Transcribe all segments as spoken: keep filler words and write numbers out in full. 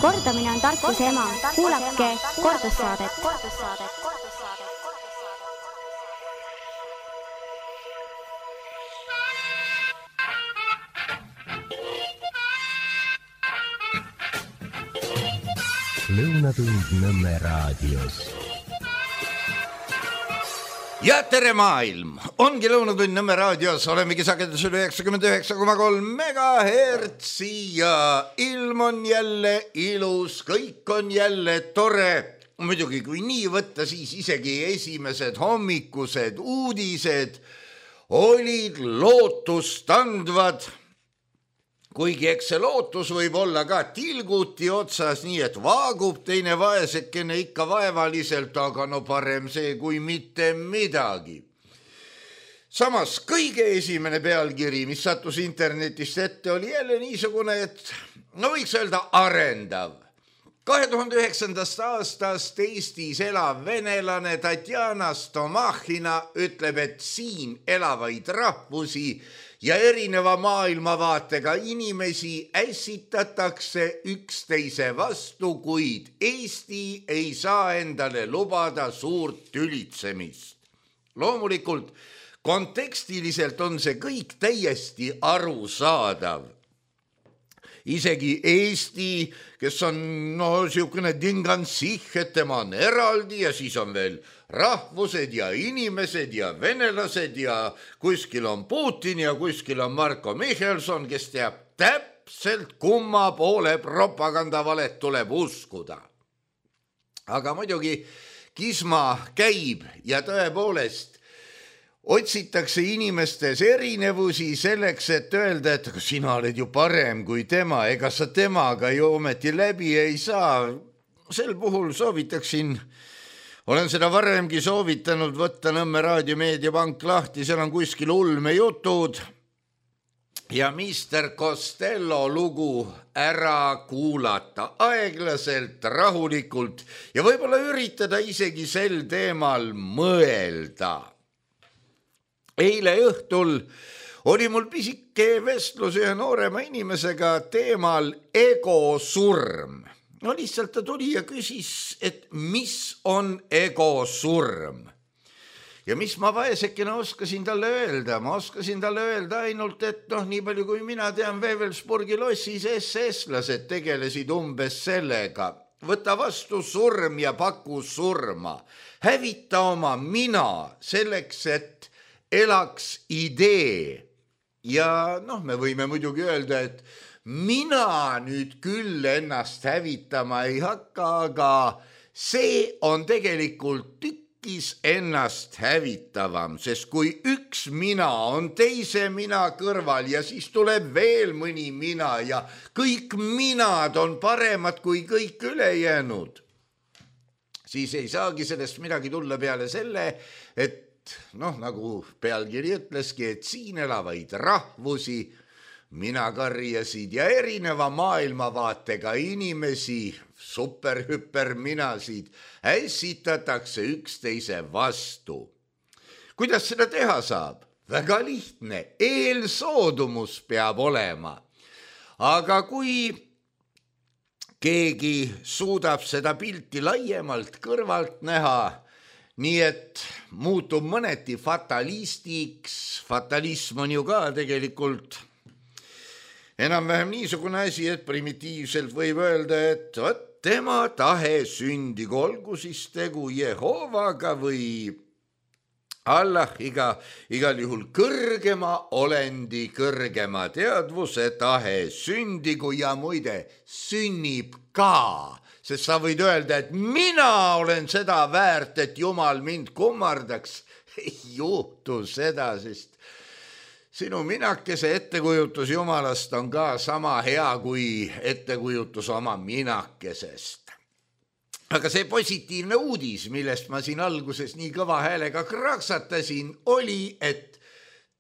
Kordamine on tarkuse ema. Kuulake kordussaadet. Lõunatund Nõmme raadios. Ja tere maailm! Ongi Lõunatund Nõmme raadios, olemegi sagedusel üheksakümmend üheksa koma kolm megahertsi ja ilm on jälle ilus, kõik on jälle tore. Muidugi, kui nii võtta, siis isegi esimesed hommikused uudised olid lootustandvad. Kuigi eks see lootus võib olla ka tilguti otsas, nii et vaagub teine vaesekene ikka vaevaliselt, aga no parem see kui mitte midagi. Samas kõige esimene pealkiri, mis sattus internetist ette, oli jälle niisugune, et no võiks öelda arendav. kahe tuhande üheksandast aastast Eestis elav venelane Tatjana Stomahina ütleb, et siin elavaid rahvusi ja erineva maailmavaatega inimesi ässitatakse üksteise vastu, kuid Eesti ei saa endale lubada suurt tülitsemist. Loomulikult kontekstiliselt on see kõik täiesti arusaadav. Isegi Eesti, kes on no siukene dingansih, et tema on eraldi ja siis on veel rahvused ja inimesed ja venelased ja kuskil on Putin ja kuskil on Marko Michelson, kes teab täpselt kumma poole propagandavalet tuleb uskuda. Aga muidugi kisma käib ja tõepoolest otsitakse inimestes erinevusi selleks, et öelda, et sina oled ju parem kui tema, ega sa temaga ju ometi läbi ei saa. Sel puhul soovitaksin, olen seda varemgi soovitanud võtta Nõmme raadiomeediapank lahti, seal on kuskil ulmejutud ja mister Costello lugu ära kuulata aeglaselt, rahulikult ja võib-olla üritada isegi sel teemal mõelda. Eile õhtul oli mul pisike vestlus ühe noorema inimesega teemal egosurm. No lihtsalt ta tuli ja küsis, et mis on egosurm. Ja mis ma vaesekene oskasin talle öelda? Ma oskasin talle öelda ainult, et noh, nii palju kui mina tean, Wewelsburgi lossis S S-lased tegelesid umbes sellega. Võta vastu surm ja paku surma. Hävita oma mina selleks, et elaks idee. Ja noh, me võime muidugi öelda, et mina nüüd küll ennast hävitama ei hakka, aga see on tegelikult tükkis ennast hävitavam, sest kui üks mina on teise mina kõrval ja siis tuleb veel mõni mina ja kõik minad on paremad kui kõik ülejäänud, siis ei saagi sellest midagi tulla peale selle, et noh, nagu pealkiri ütleski, et siin elavaid rahvusi, minakarjasid ja erineva maailmavaatega inimesi, superhüper minasid, ässitatakse üksteise vastu. Kuidas seda teha saab? Väga lihtne, eelsoodumus peab olema. Aga kui keegi suudab seda pilti laiemalt kõrvalt näha, nii et muutub mõneti fatalistiks, fatalism on ju ka tegelikult enam-vähem niisugune asi, et primitiivselt võib öelda, et võt, tema tahe sündigu, olgu siis tegu Jehovaga või Allah, iga, igal juhul kõrgema olendi, kõrgema teadvuse tahe sündigu ja muide sünnib ka. Sest sa võid öelda, et mina olen seda väärt, et Jumal mind kummardaks. Ei juhtu seda, sest sinu minakese ettekujutus Jumalast on ka sama hea kui ettekujutus oma minakesest. Aga see positiivne uudis, millest ma siin alguses nii kõva häälega kraksatasin, oli, et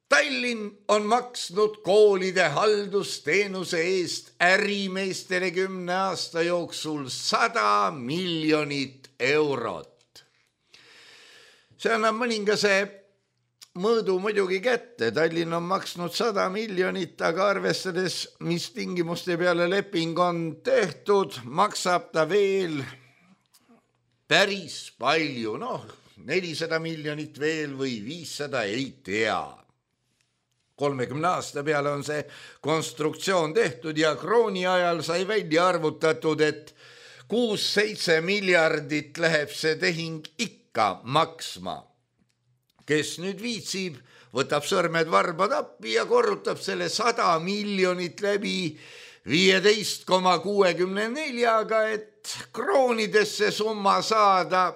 Tallinn on maksnud koolide haldusteenuse eest ärimeestele kümne aasta jooksul sada miljonit eurot. See annab mõningase mõõdu muidugi kätte. Tallinn on maksnud sada miljonit, aga arvestades, mis tingimuste peale leping on tehtud, maksab ta veel päris palju. Noh, nelisada miljonit veel või viissada, ei tea. kolmekümne aasta peale on see konstruktsioon tehtud ja krooni ajal sai välja arvutatud, et kuus-seitse miljardit läheb see tehing ikka maksma. Kes nüüd viitsib, võtab sõrmed varba tappi ja korrutab selle sada miljonit läbi viieteist koma kuuekümne neljaga, et kroonidesse summa saada.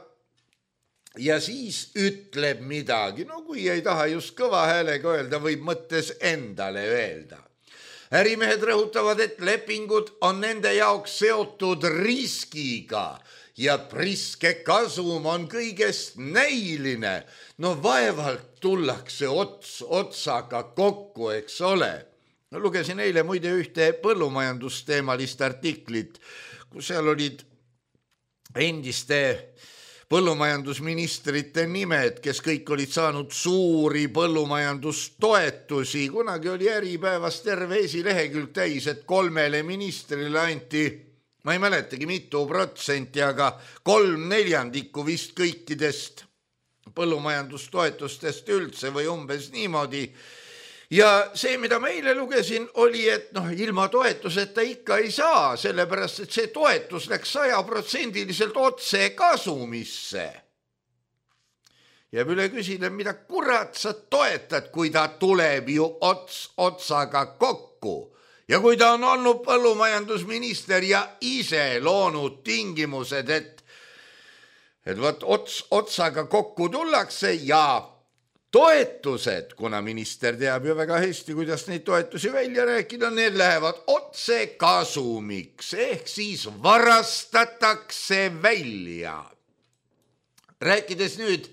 Ja siis ütleb midagi, no kui ei taha just kõva häälega öelda, võib mõttes endale öelda. Ärimehed rõhutavad, et lepingud on nende jaoks seotud riskiga ja priske kasum on kõigest näiline. No vaevalt tullakse ots otsaga kokku, eks ole. No, lugesin eile muide ühte põllumajandusteemalist artiklit, kus seal olid endiste põllumajandusministrite nimed, kes kõik olid saanud suuri põllumajandustoetusi. Kunagi oli Äripäevas terve esilehekülg täis, et kolmele ministrile anti, ma ei mäletagi mitu protsenti, aga kolm neljandikku vist kõikidest põllumajandustoetustest üldse või umbes niimoodi. Ja see, mida ma eile lugesin, oli, et noh, ilma toetuseta ikka ei saa, sellepärast, et see toetus läks sajaprotsendiliselt otse kasumisse. Jääb üle küsida, mida kurat sa toetad, kui ta tuleb ju ots otsaga kokku. Ja kui ta on olnud põllumajandusminister ja ise loonud tingimused, et, et võt ots otsaga kokku tullakse ja toetused, kuna minister teab ju väga hästi, kuidas neid toetusi välja rääkida, need lähevad otse kasumiks, ehk siis varastatakse välja. Rääkides nüüd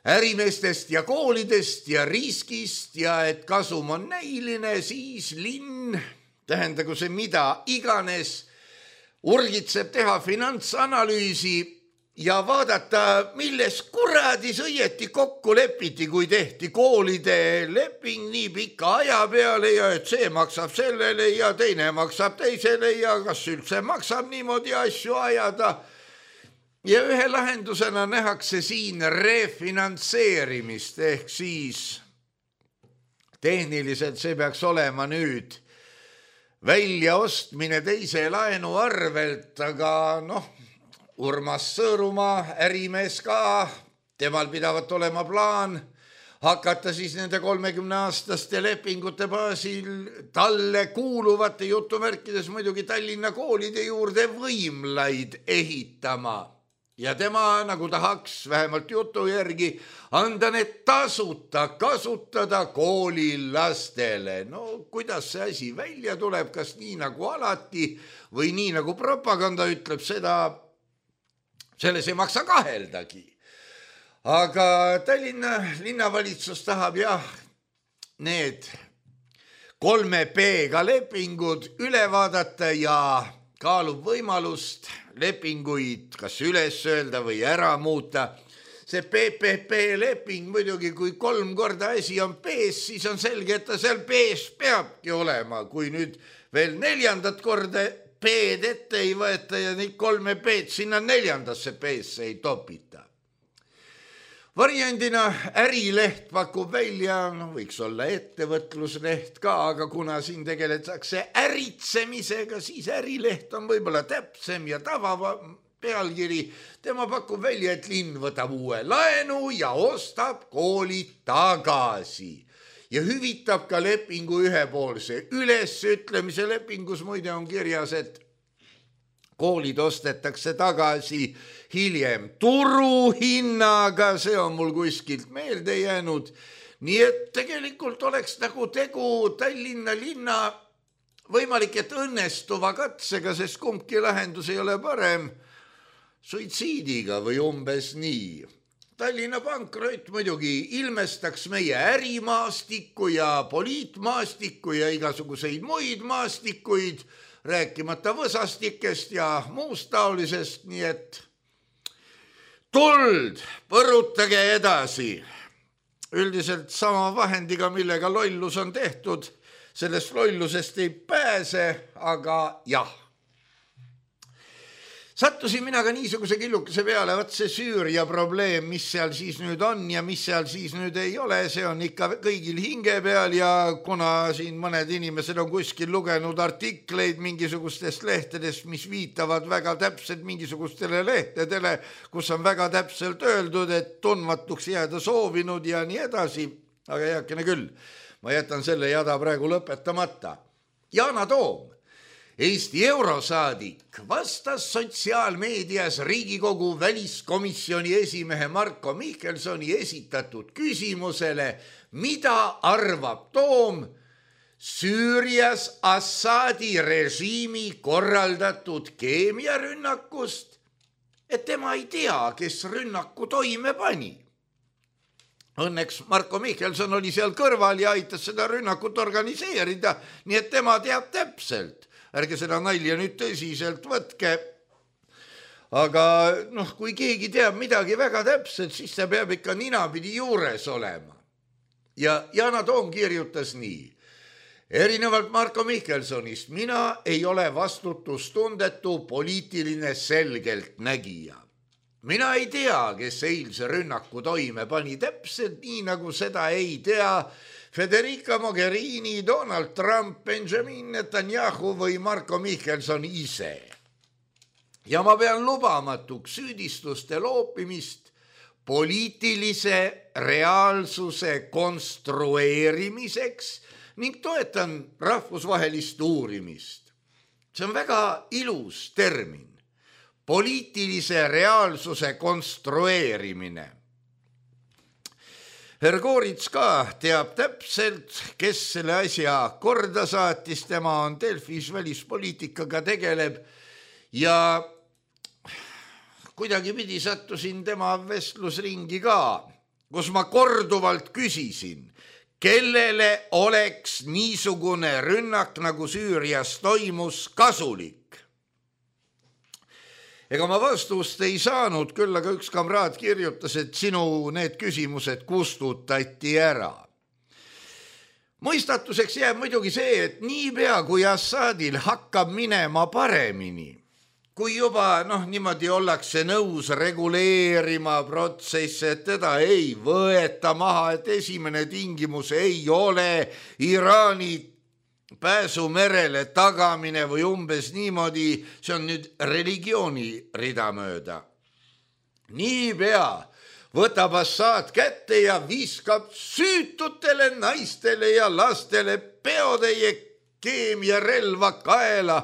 ärimeestest ja koolidest ja riskist ja et kasum on näiline, siis linn, tähendagu see mida iganes, urgitseb teha finantsanalüüsi ja vaadata, milles kuradis õieti kokku lepiti, kui tehti koolide leping nii pika aja peale ja et see maksab sellele ja teine maksab teisele ja kas üldse maksab niimoodi asju ajada. Ja ühe lahendusena nähakse siin refinantseerimist, ehk siis tehniliselt see peaks olema nüüd väljaostmine teise laenu arvelt, aga noh, Urmas Sõõrumaa, ärimees ka, temal pidavat olema plaan hakata siis nende kolmekümne aastaste lepingute baasil talle kuuluvate jutumärkides muidugi Tallinna koolide juurde võimlaid ehitama. Ja tema, nagu tahaks vähemalt jutu järgi, anda need tasuta kasutada koolilastele. No kuidas see asi välja tuleb, kas nii nagu alati või nii nagu propaganda ütleb, seda selles ei maksa kaheldagi. Aga Tallinna linnavalitsus tahab jah need kolme P-ga lepingud üle vaadata ja kaalub võimalust lepinguid kas üles öelda või ära muuta. See P P P leping muidugi, kui kolm korda asi on P-s, siis on selge, et ta seal P-s peabki olema. Kui nüüd veel neljandat korda P-d ette ei võeta ja neid kolme P-d sinna neljandasse P-sse ei topita. Variandina ärileht pakub välja, no võiks olla ettevõtlusleht ka, aga kuna siin tegeletakse äritsemisega, siis ärileht on võib-olla täpsem ja tava pealkiri. Tema pakub välja, et linn võtab uue laenu ja ostab koolid tagasi. Ja hüvitab ka lepingu ühepoolse ülesütlemise. Lepingus muide on kirjas, et koolid ostetakse tagasi hiljem turuhinnaga, see on mul kuskilt meelde jäänud. Nii et tegelikult oleks nagu tegu Tallinna linna võimalik, et õnnestuva katsega, sest kumbki lahendus ei ole parem suitsiidiga või umbes nii. Tallinna pankrot muidugi ilmestaks meie ärimaastikku ja poliitmaastikku ja igasuguseid muid maastikuid, rääkimata võsastikest ja muust taolisest, nii et tuld, põrutage edasi. üldiselt sama vahendiga, millega lollus on tehtud, sellest lollusest ei pääse, aga jah. Sattusin mina ka niisuguse killukese peale, võt see Süüria probleem, mis seal siis nüüd on ja mis seal siis nüüd ei ole, see on ikka kõigil hinge peal ja kuna siin mõned inimesed on kuskil lugenud artikleid mingisugustest lehtedest, mis viitavad väga täpselt mingisugustele lehtedele, kus on väga täpselt öeldud, et tundmatuks jääda soovinud ja nii edasi, aga heakene küll, ma jätan selle jada praegu lõpetamata. Yana Toom, Eesti eurosaadik, vastas sotsiaalmeedias Riigikogu väliskomisjoni esimehe Marko Mihkelsoni esitatud küsimusele, mida arvab Toom Süürias Assadi režiimi korraldatud keemiarünnakust, et tema ei tea, kes rünnaku toime pani. Õnneks Marko Mihkelson oli seal kõrval ja aitas seda rünnakut organiseerida, nii et tema teab täpselt. Ärge seda nalja nüüd tõsiselt võtke. Aga noh, kui keegi teab midagi väga täpselt, siis ta peab ikka ninapidi juures olema. Ja Yana Toom kirjutas nii. Erinevalt Marko Mihkelsonist, mina ei ole vastutustundetu poliitiline selgeltnägija. Mina ei tea, kes eilse rünnaku toime pani täpselt nii, nagu seda ei tea Federica Mogherini, Donald Trump, Benjamin Netanyahu või Marko Mihkelson ise. Ja ma pean lubamatuks süüdistuste loopimist poliitilise reaalsuse konstrueerimiseks ning toetan rahvusvahelist uurimist. See on väga ilus termin. Poliitilise reaalsuse konstrueerimine. Hergorits ka teab täpselt, kes selle asja korda saatis, tema on Delfis välispoliitikaga tegeleb ja kuidagi pidi sattusin tema vestlusringi ka, kus ma korduvalt küsisin, kellele oleks niisugune rünnak, nagu Süürias toimus, kasulik. Ega ma vastust ei saanud, küll aga üks kamraad kirjutas, et sinu need küsimused kustutati ära. Mõistatuseks jääb muidugi see, et niipea kui Assadil hakkab minema paremini, kui juba noh, niimoodi ollakse nõus reguleerima protsesse, et teda ei võeta maha, et esimene tingimus ei ole Iraani pääsu merele tagamine või umbes niimoodi, see on nüüd religiooni ridamööda. Niipea võtab Assad kätte ja viskab süütutele naistele ja lastele peotäie keemiarelva kaela,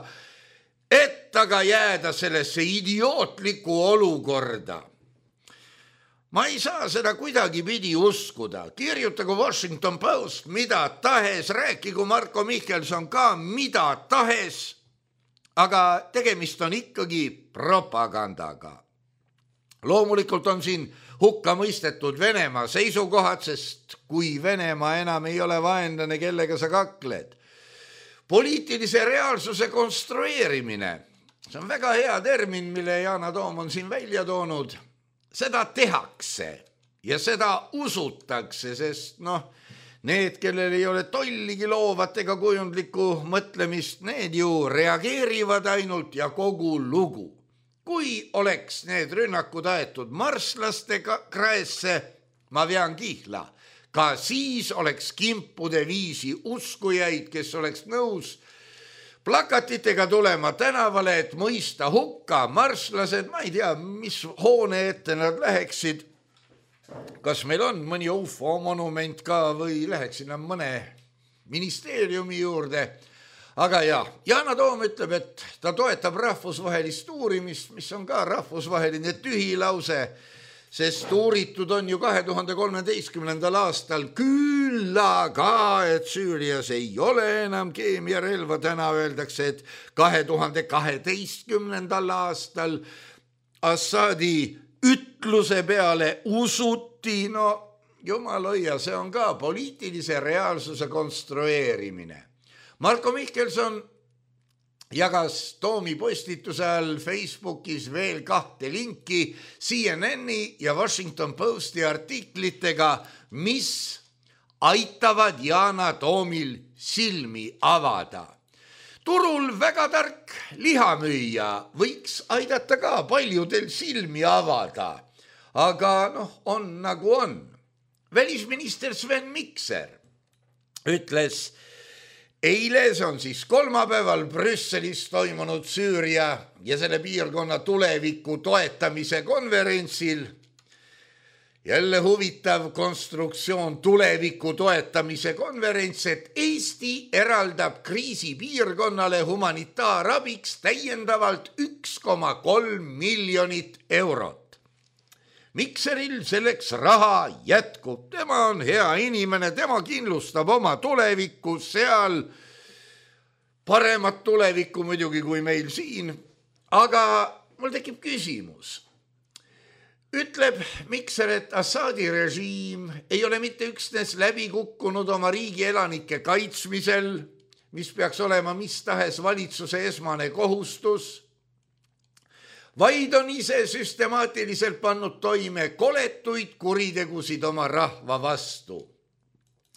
et aga jääda sellesse idiootlikku olukorda. Ma ei saa seda kuidagi pidi uskuda. Kirjutagu Washington Post mida tahes, rääkigu Marko Mihkelson ka mida tahes, aga tegemist on ikkagi propagandaga. Loomulikult on siin hukka mõistetud Venemaa seisukohad, sest kui Venemaa enam ei ole vaenlane, kellega sa kakled. Poliitilise reaalsuse konstrueerimine, see on väga hea termin, mille Yana Toom on siin välja toonud. Seda tehakse ja seda usutakse, sest noh, need, kellel ei ole tolligi loovat ega kujundlikku mõtlemist, need ju reageerivad ainult ja kogu lugu. Kui oleks need rünnakud aetud marslaste kraesse, ma vean kihla, ka siis oleks kimpude viisi uskujaid, kes oleks nõus plakatitega tulema tänavale, et mõista hukka marslased, ma ei tea, mis hoone ette nad läheksid. Kas meil on mõni U F O monument ka või läheksid nad mõne ministeeriumi juurde. Aga jah, Yana Toom ütleb, et ta toetab rahvusvahelist uurimist, mis on ka rahvusvaheline tühilause, sest uuritud on ju kahe tuhande kolmeteistkümnendal aastal küll aga, et Süürias ei ole enam keemiarelva, täna öeldakse, et kahe tuhande kaheteistkümnendal aastal Assadi ütluse peale usuti, no jumal hoia, see on ka poliitilise reaalsuse konstrueerimine. Marko Mihkelson jagas Toomi postituse all Facebookis veel kahte linki C N N-i ja Washington Posti artiklitega, mis aitavad Yana Toomil silmi avada. Turul väga tark lihamüüja võiks aidata ka paljudel silmi avada, aga noh, on nagu on. Välisminister Sven Mikser ütles eile, see on siis kolmapäeval Brüsselis toimunud Süüria ja selle piirkonna tuleviku toetamise konverentsil. Jälle huvitav konstruktsioon tuleviku toetamise konverents, et Eesti eraldab kriisipiirkonnale humanitaarabiks täiendavalt üks koma kolm miljonit eurot. Mikseril selleks raha jätkub, tema on hea inimene, tema kindlustab oma tulevikku seal, paremat tulevikku muidugi kui meil siin, aga mul tekib küsimus. Ütleb Mikser, et Assadi režiim ei ole mitte üksnes läbi kukkunud oma riigi elanike kaitsmisel, mis peaks olema mis tahes valitsuse esmane kohustus, vaid on ise süstemaatiliselt pannud toime koletuid kuritegusid oma rahva vastu.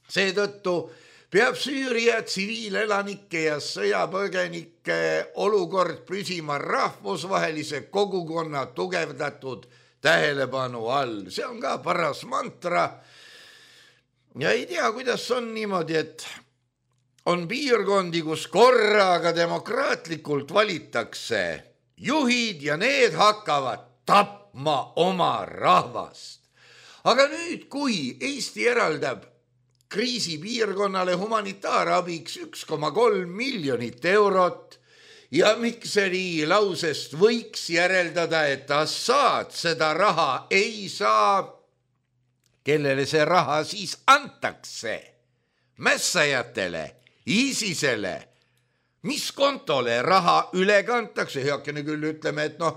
Seetõttu peab Süüria tsiviilelanike ja sõjapõgenike olukord püsima rahvusvahelise kogukonna tugevdatud tähelepanu all. See on ka paras mantra. Ja ei tea, kuidas on niimoodi, et on piirkondi, kus korraga demokraatlikult valitakse juhid ja need hakkavad tapma oma rahvast. Aga nüüd, kui Eesti eraldab kriisipiirkonnale humanitaarabiks üks koma kolm miljonit eurot ja Mikseri lausest võiks järeldada, et Assad seda raha ei saa, kellele see raha siis antakse? Mässajatele, ISISele? Mis kontole raha üle kantakse? Heakene küll ütleme, et noh,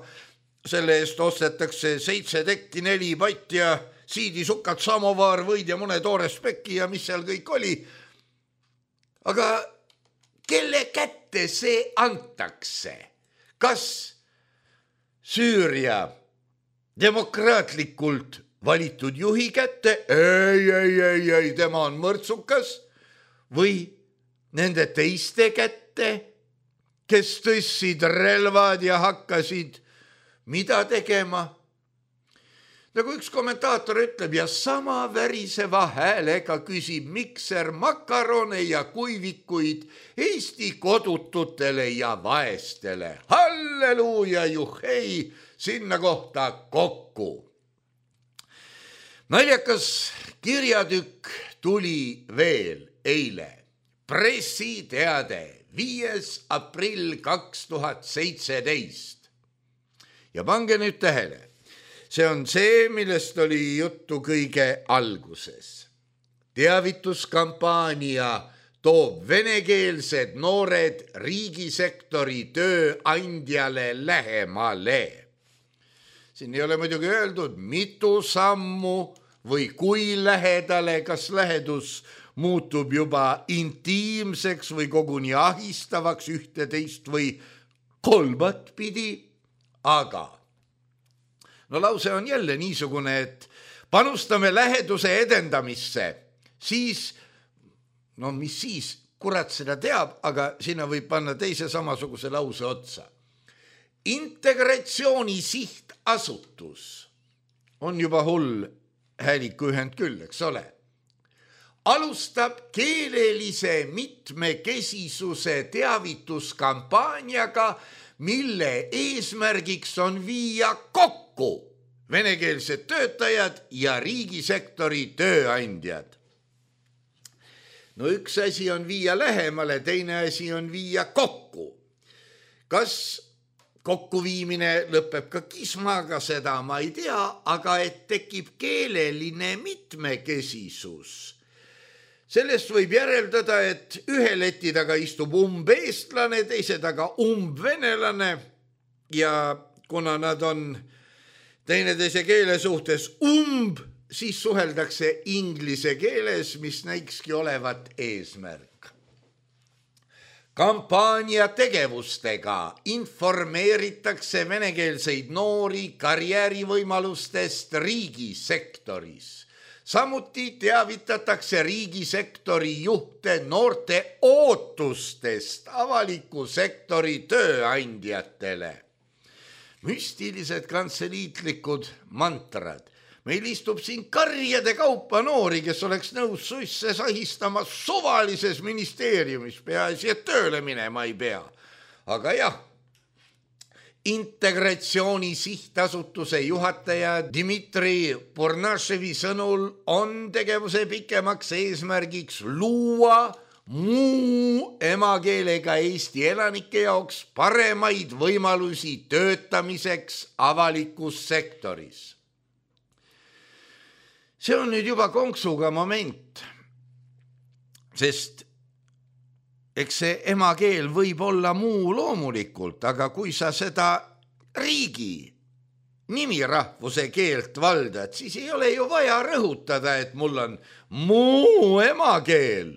selle eest ostetakse seitse tekki, neli patti ja siidisukat, samovaar, võid ja mõne toore spekki ja mis seal kõik oli. Aga kelle kätte see antakse? Kas Süüria demokraatlikult valitud juhi kätte? Ei, ei, ei, ei, tema on mõrtsukas. Või nende teiste kätte, kes tõssid relvad ja hakkasid mida tegema? Nagu üks kommentaator ütleb, ja sama väriseva häälega küsib Mikser makarone ja kuivikuid Eesti kodututele ja vaestele. Halleluuja, juhei, sinna kohta kokku. Naljakas kirjatükk tuli veel eile. Pressiteade viies aprill kaks tuhat seitseteist. Ja pange nüüd tähele, see on see, millest oli juttu kõige alguses. Teavituskampaania toob venekeelsed noored riigisektori tööandjale lähemale. Siin ei ole muidugi öeldud, mitu sammu või kui lähedale, kas lähedus muutub juba intiimseks või koguni ahistavaks ühte teist või kolmat pidi, aga no lause on jälle niisugune, et panustame läheduse edendamisse, siis, no mis siis, kurat seda teab, aga sinna võib panna teise samasuguse lause otsa. Integratsiooni sihtasutus on juba hull hääliku ühend küll, eks ole. Alustab keelelise mitmekesisuse teavituskampaaniaga, mille eesmärgiks on viia kokku venekeelsed töötajad ja riigisektori tööandjad. No üks asi on viia lähemale, teine asi on viia kokku. Kas kokkuviimine lõpeb ka kismaga, seda ma ei tea, aga et tekib keeleline mitmekesisus. Sellest võib järeldada, et ühe leti taga istub umbeestlane, teise taga umbvenelane ja kuna nad on teineteise keele suhtes umb, siis suheldakse inglise keeles, mis näikski olevat eesmärk. kampaania tegevustega informeeritakse venekeelseid noori karjäärivõimalustest riigisektoris. Samuti teavitatakse riigisektori juhte noorte ootustest avaliku sektori tööandjatele. Müstilised kantseliitlikud mantrad. Meil istub siin karjade kaupa noori, kes oleks nõus suisse sahistama suvalises ministeeriumis, peaasi, et tööle minema ei pea. Aga jah, Integratsiooni sihtasutuse juhataja Dmitri Pornaševi sõnul on tegevuse pikemaks eesmärgiks luua muu emakeelega Eesti elanike jaoks paremaid võimalusi töötamiseks avalikus sektoris. See on nüüd juba konksuga moment, sest eks see emakeel võib olla muu loomulikult, aga kui sa seda riigi nimirahvuse keelt valdad, siis ei ole ju vaja rõhutada, et mul on muu emakeel.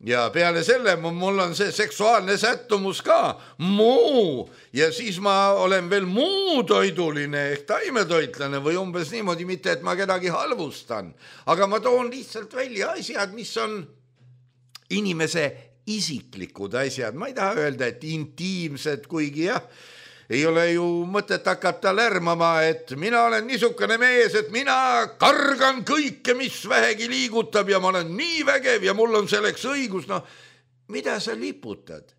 Ja peale selle mul on see seksuaalne sättumus ka muu ja siis ma olen veel muu toiduline ehk taimetoitlane või umbes niimoodi, mitte et ma kedagi halvustan. Aga ma toon lihtsalt välja asjad, mis on inimese isiklikud asjad. Ma ei taha öelda, et intiimsed, kuigi jah, ei ole ju mõtet hakata lärmama, et mina olen niisugune mees, et mina kargan kõike, mis vähegi liigutab ja ma olen nii vägev ja mul on selleks õigus. No, mida sa liputad?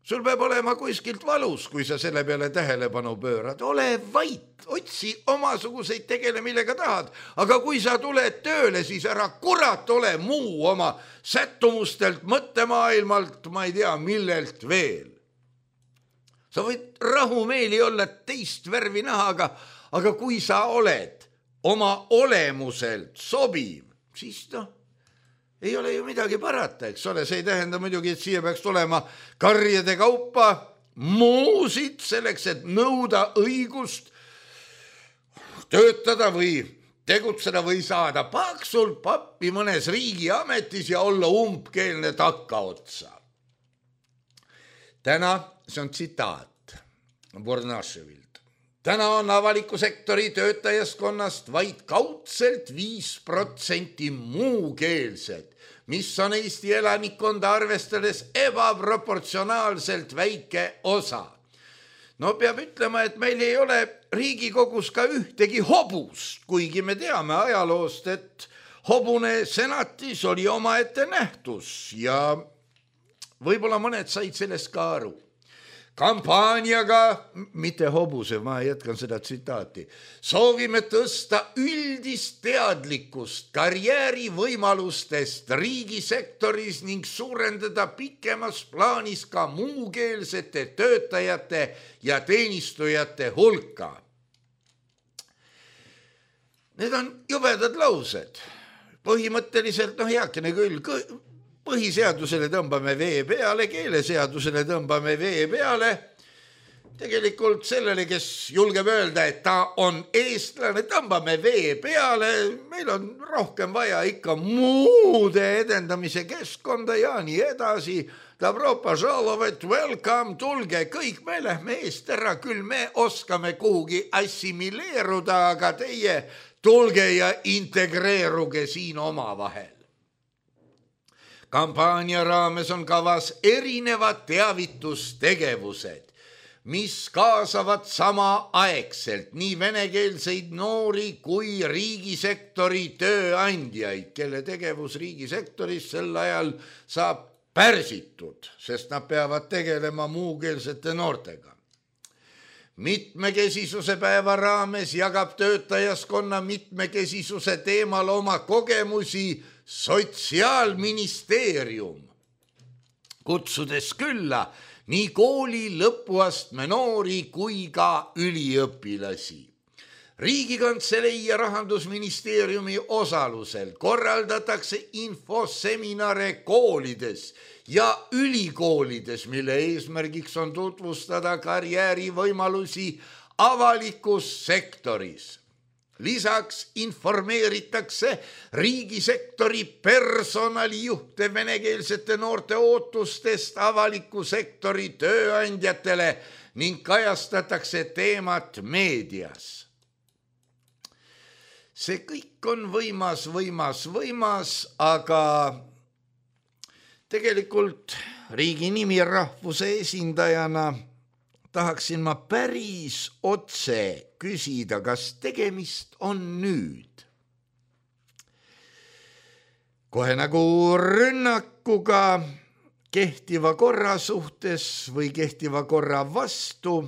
Sul peab olema kuskilt valus, kui sa selle peale tähelepanu pöörad. Ole vait, otsi omasuguseid tegele, millega tahad. Aga kui sa tuled tööle, siis ära kurat ole muu oma sättumustelt, mõttemaailmalt, ma ei tea, millelt veel. Sa võid rahumeeli olla teist värvi naha, aga, aga kui sa oled oma olemuselt sobiv, siis noh, ei ole ju midagi parata, eks ole. See ei tähenda muidugi, et siia peaks tulema karjade kaupa muusid selleks, et nõuda õigust töötada või tegutseda või saada paksult pappi mõnes riigiametis ja olla umbkeelne takkaotsa. Täna, see on tsitaat Pornaševilt. Täna on avaliku sektori töötajaskonnast vaid kaudselt viis protsenti muukeelsed, mis on Eesti elanikkonda arvestades ebaproportsionaalselt väike osa. No peab ütlema, et meil ei ole Riigikogus ka ühtegi hobust, kuigi me teame ajaloost, et hobune senatis oli omaette nähtus ja võib-olla mõned said sellest ka aru. Kampaaniaga, mitte hobuse, ma jätkan seda tsitaati, soovime tõsta üldist teadlikkust karjäärivõimalustest riigisektoris ning suurendada pikemas plaanis ka muukeelsete töötajate ja teenistujate hulka. Need on jubedad laused. Põhimõtteliselt, noh heakene küll, põhiseadusele tõmbame vee peale, keeleseadusele tõmbame vee peale. Tegelikult sellele, kes julgeb öelda, et ta on eestlane, tõmbame vee peale. Meil on rohkem vaja ikka muude edendamise keskkonda ja nii edasi. Dobro požalovet, welcome, tulge kõik, me lähme eest ära, küll me oskame kuhugi assimileeruda, aga teie tulge ja integreeruge siin oma vahel. Kampaania raames on kavas erinevad teavitustegevused, mis kaasavad samaaegselt nii venekeelseid noori kui riigisektori tööandjaid, kelle tegevus riigisektoris sel ajal saab pärsitud, sest nad peavad tegelema muukeelsete noortega. Mitmekesisuse päeva raames jagab töötajaskonna mitmekesisuse teemal oma kogemusi Sotsiaalministeerium, kutsudes külla nii kooli lõpuastme noori kui ka üliõpilasi. Riigikantselei ja Rahandusministeeriumi osalusel korraldatakse infoseminare koolides ja ülikoolides, mille eesmärgiks on tutvustada karjäärivõimalusi avalikus sektoris. Lisaks informeeritakse riigisektori personalijuhte venekeelsete noorte ootustest avaliku sektori tööandjatele ning kajastatakse teemat meedias. See kõik on võimas, võimas, võimas, aga tegelikult riigi nimi rahvuse esindajana tahaksin ma päris otse küsida, kas tegemist on nüüd kohe nagu rünnakuga kehtiva korra suhtes või kehtiva korra vastu.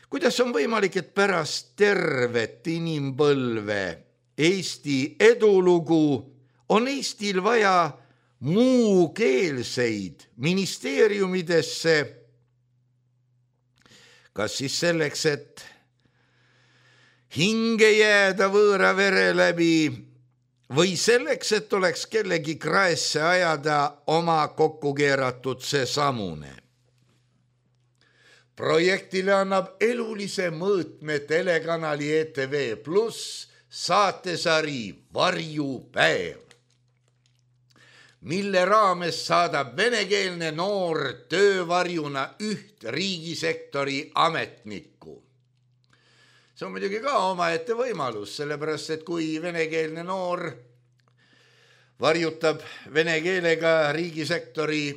Kuidas on võimalik, et pärast tervet inimpõlve Eesti edulugu on Eestil vaja muukeelseid ministeeriumidesse, kas siis selleks, et hinge jääda võõra vere läbi või selleks, et oleks kellegi kraesse ajada oma kokku keeratud see samune. Projektile annab elulise mõõtme telekanali E T V pluss saatesari Varjupäev, mille raames saadab venekeelne noor töövarjuna üht riigisektori ametnikku. See on muidugi ka omaette võimalus, sellepärast, et kui venekeelne noor varjutab vene keelega riigisektori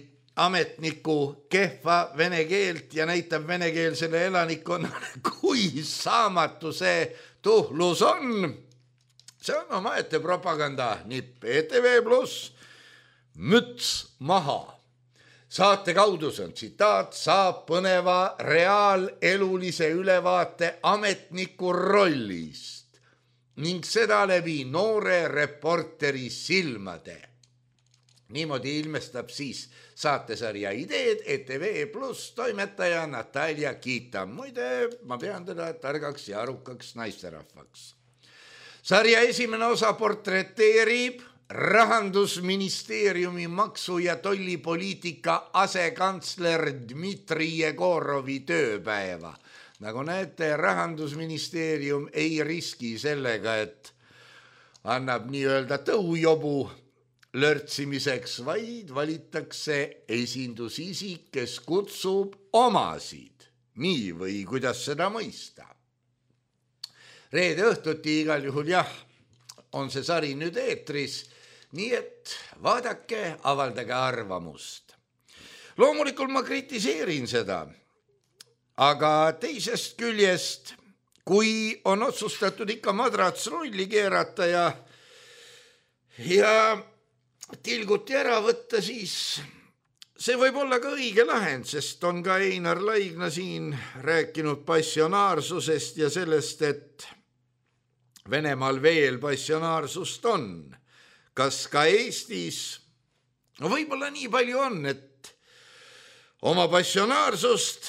ametniku kehva vene keelt ja näitab venekeelsele elanikkonnale, kui saamatu see tuhlus on. See on omaette propaganda nipp. E T V pluss müts maha. Saate kaudu, see on tsitaat, saab põneva reaalelulise ülevaate ametniku rollist ning seda läbi noore reporteri silmade. Niimoodi ilmestab siis saatesarja ideed E T V pluss toimetaja Natalja Kita. Muide, ma pean teda targaks ja arukaks naisterahvaks. Sarja esimene osa portreteerib Rahandusministeeriumi maksu- ja tollipoliitika asekantsler Dmitri Jegorovi tööpäeva. Nagu näete, Rahandusministeerium ei riski sellega, et annab nii-öelda tõujobu lörtsimiseks, vaid valitakse esindusisik, kes kutsub omasid. Nii või kuidas seda mõista? Reede õhtuti igal juhul jah, on see sari nüüd eetris, nii et vaadake, avaldage arvamust. Loomulikult ma kritiseerin seda, aga teisest küljest, kui on otsustatud ikka madrats rolli keerata ja, ja tilguti ära võtta, siis see võib olla ka õige lahend, sest on ka Einar Laigna siin rääkinud passionaarsusest ja sellest, et Venemaal veel passionaarsust on. Kas ka Eestis? No võib-olla nii palju on, et oma passionaarsust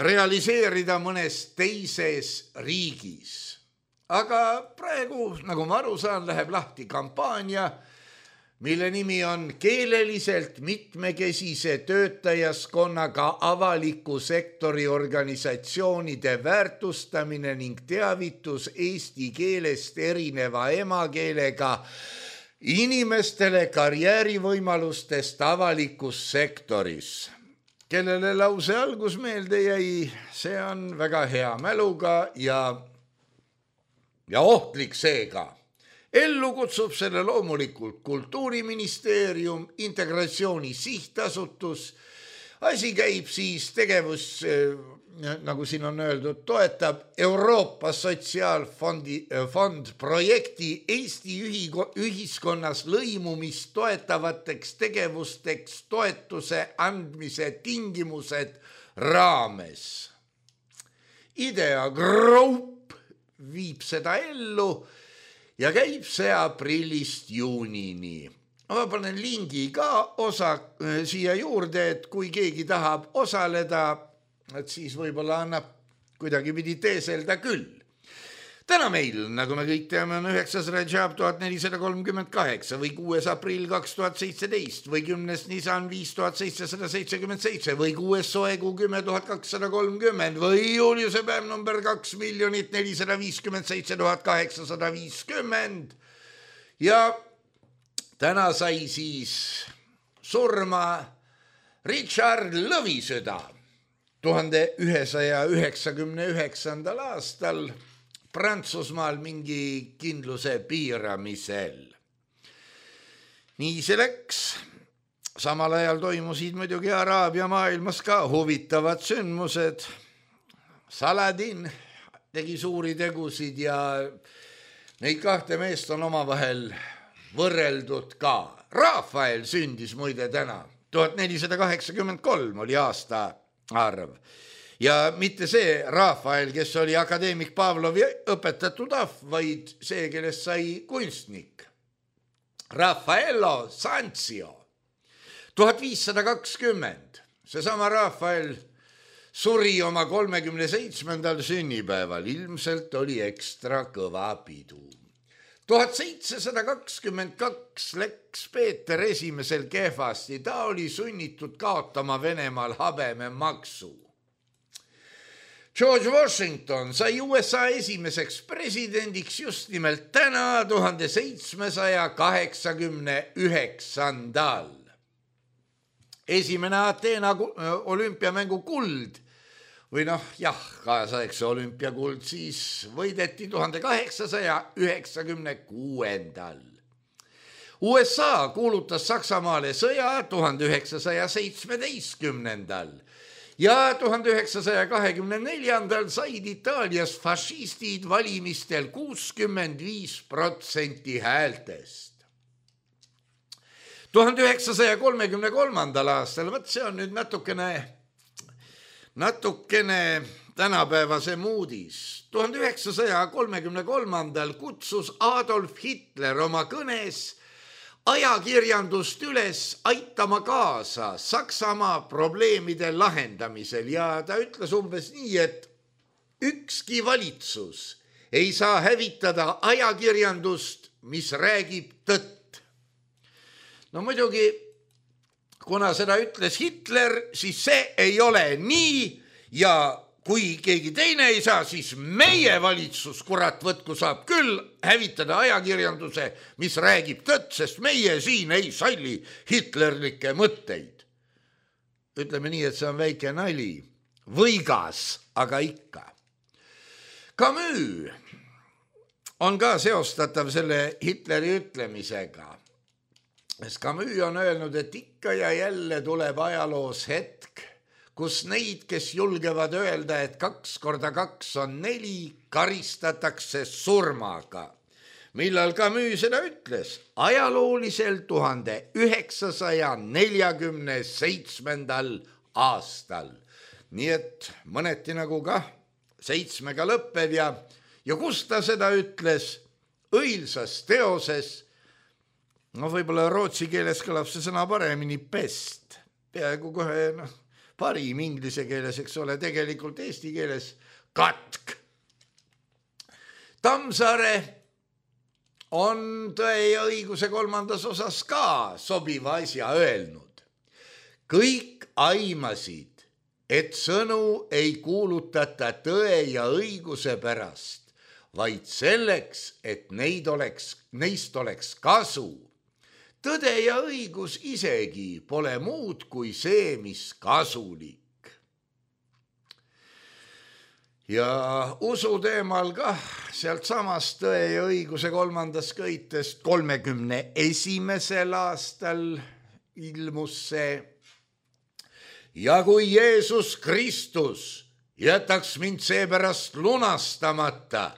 realiseerida mõnes teises riigis. Aga praegu, nagu ma aru saan, läheb lahti kampaania, mille nimi on keeleliselt mitmekesise töötajaskonnaga avaliku sektori organisatsioonide väärtustamine ning teavitus eesti keelest erineva emakeelega inimestele karjäärivõimalustest avalikus sektoris. Kellele lause algus meelde jäi, see on väga hea mäluga ja, ja ohtlik seega. Ellu kutsub selle loomulikult Kultuuriministeerium, Integratsiooni sihtasutus. Asi käib siis tegevus, nagu siin on öeldud, toetab Euroopa Sotsiaalfondi fond projekti Eesti ühiskonnas lõimumist toetavateks tegevusteks toetuse andmise tingimused raames. Idea Group viib seda ellu ja käib see aprillist juunini. Ma panen lingi ka osa siia juurde, et kui keegi tahab osaleda, et siis võib-olla annab kuidagi pidi teeselda küll. Täna meil, nagu me kõik teame, on üheksas Rajab tuhat nelisada kolmkümmend kaheksa või kuues aprill kaks tuhat seitseteist või kümnes Nisan viis tuhat seitsesada seitsekümmend seitse või kuues Soekuu kümme tuhat kakssada kolmkümmend või Juliuse päev number kaks miljonit nelisada viiskümmend seitse tuhat kaheksasada viiskümmend. Ja täna sai siis surma Richard Lõvisõda tuhande ühesaja üheksakümne üheksandal aastal Prantsusmaal mingi kindluse piiramisel. Nii see läks. Samal ajal toimusid muidugi Araabia maailmas ka huvitavad sündmused. Saladin tegi suuri tegusid ja neid kahte meest on omavahel võrreldud ka. Rafael sündis muide täna. tuhat nelisada kaheksakümmend kolm oli aasta arv. Ja mitte see Rafael, kes oli akadeemik Pavlovi õpetatud ahv, vaid see, kellest sai kunstnik. Raffaello Sanzio. tuhat viissada kakskümmend. Seesama Rafael suri oma kolmekümne seitsmendal sünnipäeval. Ilmselt oli ekstra kõva pidu. tuhat seitsesada kakskümmend kaks läks Peeter esimesel kehvasti. Ta oli sunnitud kaotama Venemaal habememaksu. George Washington sai U S A esimeseks presidendiks just nimelt täna tuhande seitsmesaja kaheksakümne üheksandal. Esimene Ateena olümpiamängu kuld või noh, jah, kaasaegse olümpiakuld siis võideti tuhande kaheksasaja üheksakümne kuuendal. U S A kuulutas Saksamaale sõja tuhande üheksasaja seitsmeteistkümnendal. Ja tuhande üheksasaja kahekümne neljandal said Itaalias fašistid valimistel kuuskümmend viis protsenti häältest. tuhande üheksasaja kolmekümne kolmandal aastal, võt see on nüüd natukene, natukene tänapäevasem uudis. tuhande üheksasaja kolmekümne kolmandal kutsus Adolf Hitler oma kõnes ajakirjandust üles aitama kaasa Saksamaa probleemide lahendamisel ja ta ütles umbes nii, et ükski valitsus ei saa hävitada ajakirjandust, mis räägib tõtt. No muidugi, kuna seda ütles Hitler, siis see ei ole nii ja kui keegi teine ei saa, siis meie valitsus, kurat võtku, saab küll hävitada ajakirjanduse, mis räägib tõtt, sest meie siin ei salli hitlerlikke mõtteid. Ütleme nii, et see on väike nali. Võigas, aga ikka. Camus on ka seostatav selle Hitleri ütlemisega. Camus on öelnud, et ikka ja jälle tuleb ajaloos hetk, kus neid, kes julgevad öelda, et kaks korda kaks on neli, karistatakse surmaga. Millal Camus seda ütles? Ajaloolisel tuhande üheksasaja neljakümne seitsmendal aastal. Nii et mõneti nagu ka seitsmega lõppev ja, ja kus ta seda ütles? Õilsas teoses, no võib-olla rootsi keeles kõlab see sõna paremini, pest. Peaaegu kohe, noh, parim inglise keeles, eks ole, tegelikult eesti keeles katk. Tammsaare on Tõe ja õiguse kolmandas osas ka sobiva asja öelnud. Kõik aimasid, et sõnu ei kuulutata tõe ja õiguse pärast, vaid selleks, et neid oleks, neist oleks kasu. Tõde ja õigus isegi pole muud kui see, mis kasulik. Ja usu teemal kah sealt samast Tõe ja õiguse kolmandas köitest kolmekümne esimesel aastal ilmus see. Ja kui Jeesus Kristus jätaks mind seepärast lunastamata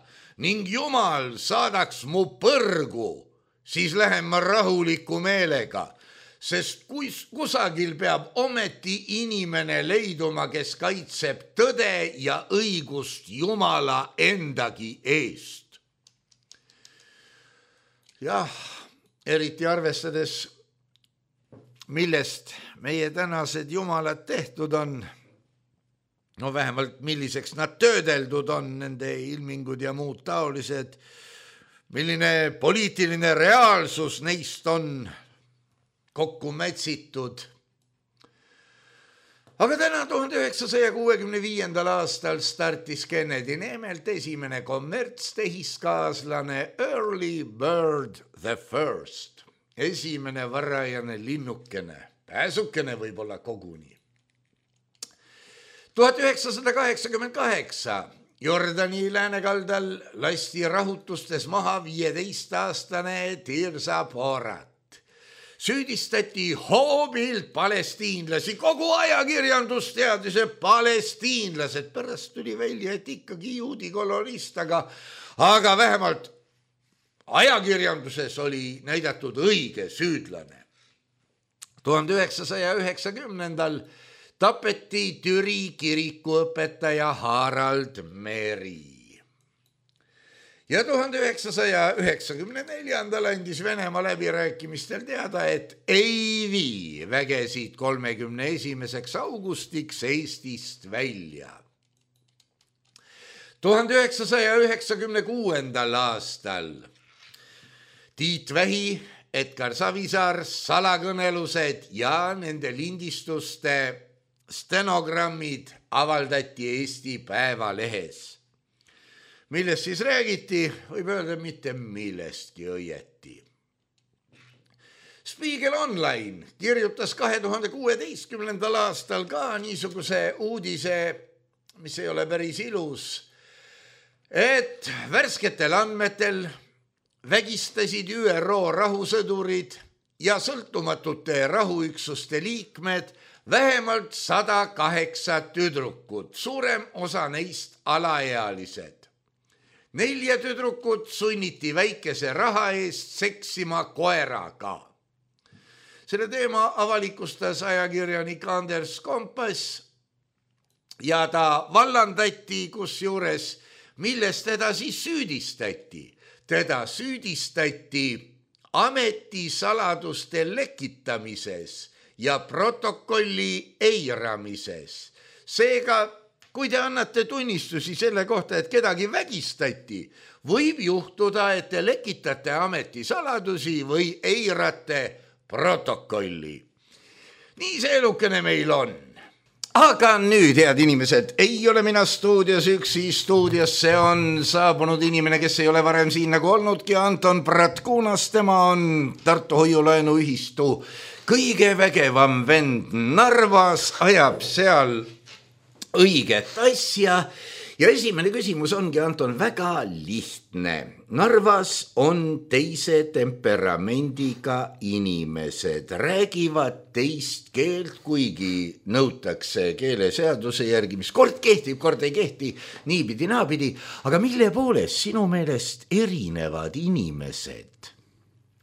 ning Jumal saadaks mu põrgu, siis lähen ma rahuliku meelega, sest kus, kusagil peab ometi inimene leiduma, kes kaitseb tõde ja õigust Jumala endagi eest. Jah, eriti arvestades, millest meie tänased jumalad tehtud on, no vähemalt milliseks nad töödeldud on, nende ilmingud ja muud taolised, milline poliitiline reaalsus neist on kokku mätsitud. Aga täna tuhande üheksasaja kuuekümne viiendal aastal startis Kennedy Nemelt esimene kommertstehiskaaslane Early Bird the First. Esimene varajane linnukene, pääsukene võib-olla koguni. tuhat üheksasada kaheksakümmend kaheksa Jordani läänekaldal lasti rahutustes maha viieteist-aastane Tirsa Porat. Süüdistati hoobilt palestiinlasi, kogu ajakirjandus teadis, et palestiinlased, pärast tuli välja, et ikkagi juudi kolonist, aga, aga vähemalt ajakirjanduses oli näidatud õige süüdlane. tuhande üheksasaja üheksakümnendal tapeti Türi kirikuõpetaja Harald Meri. Ja tuhande üheksasaja üheksakümne neljandal andis Venemaa läbirääkimistel teada, et ei vii vägesid kolmekümne esimeseks augustiks Eestist välja. tuhande üheksasaja üheksakümne kuuendal aastal Tiit Vähi, Edgar Savisaar, salakõnelused ja nende lindistuste stenogrammid avaldati Eesti Päevalehes. Millest siis räägiti, võib öelda mitte millestki õieti. Spiegel Online kirjutas kahe tuhande kuueteistkümnendal aastal ka niisuguse uudise, mis ei ole päris ilus, et värsketel andmetel vägistasid Ü R O rahusõdurid ja sõltumatute rahuüksuste liikmed vähemalt sada kaheksa tüdrukut, suurem osa neist alaealised. Nelja tüdrukut sunniti väikese raha eest seksima koeraga. Selle teema avalikustas ajakirjanik Anders Kompass ja ta vallandati, kusjuures millest teda siis süüdistati. Teda süüdistati ametisaladuste lekitamises ja protokolli eiramises. Seega, kui te annate tunnistusi selle kohta, et kedagi vägistati, võib juhtuda, et te lekitate ametisaladusi või eirate protokolli. Nii see elukene meil on. Aga nüüd, head inimesed, ei ole mina stuudios üksi, stuudiosse on saabunud inimene, kes ei ole varem siin nagu olnudki, Anton Pratkunas, tema on Tartu Hoiulaenu ühistu kõige vägevam vend Narvas, ajab seal õiget asja ja esimene küsimus ongi, Anton, väga lihtne. Narvas on teise temperamendiga inimesed, räägivad teist keelt, kuigi nõutakse keeleseaduse järgi, mis kord kehtib, kord ei kehti, niipidi, naapidi. Aga mille poolest sinu meelest erinevad inimesed?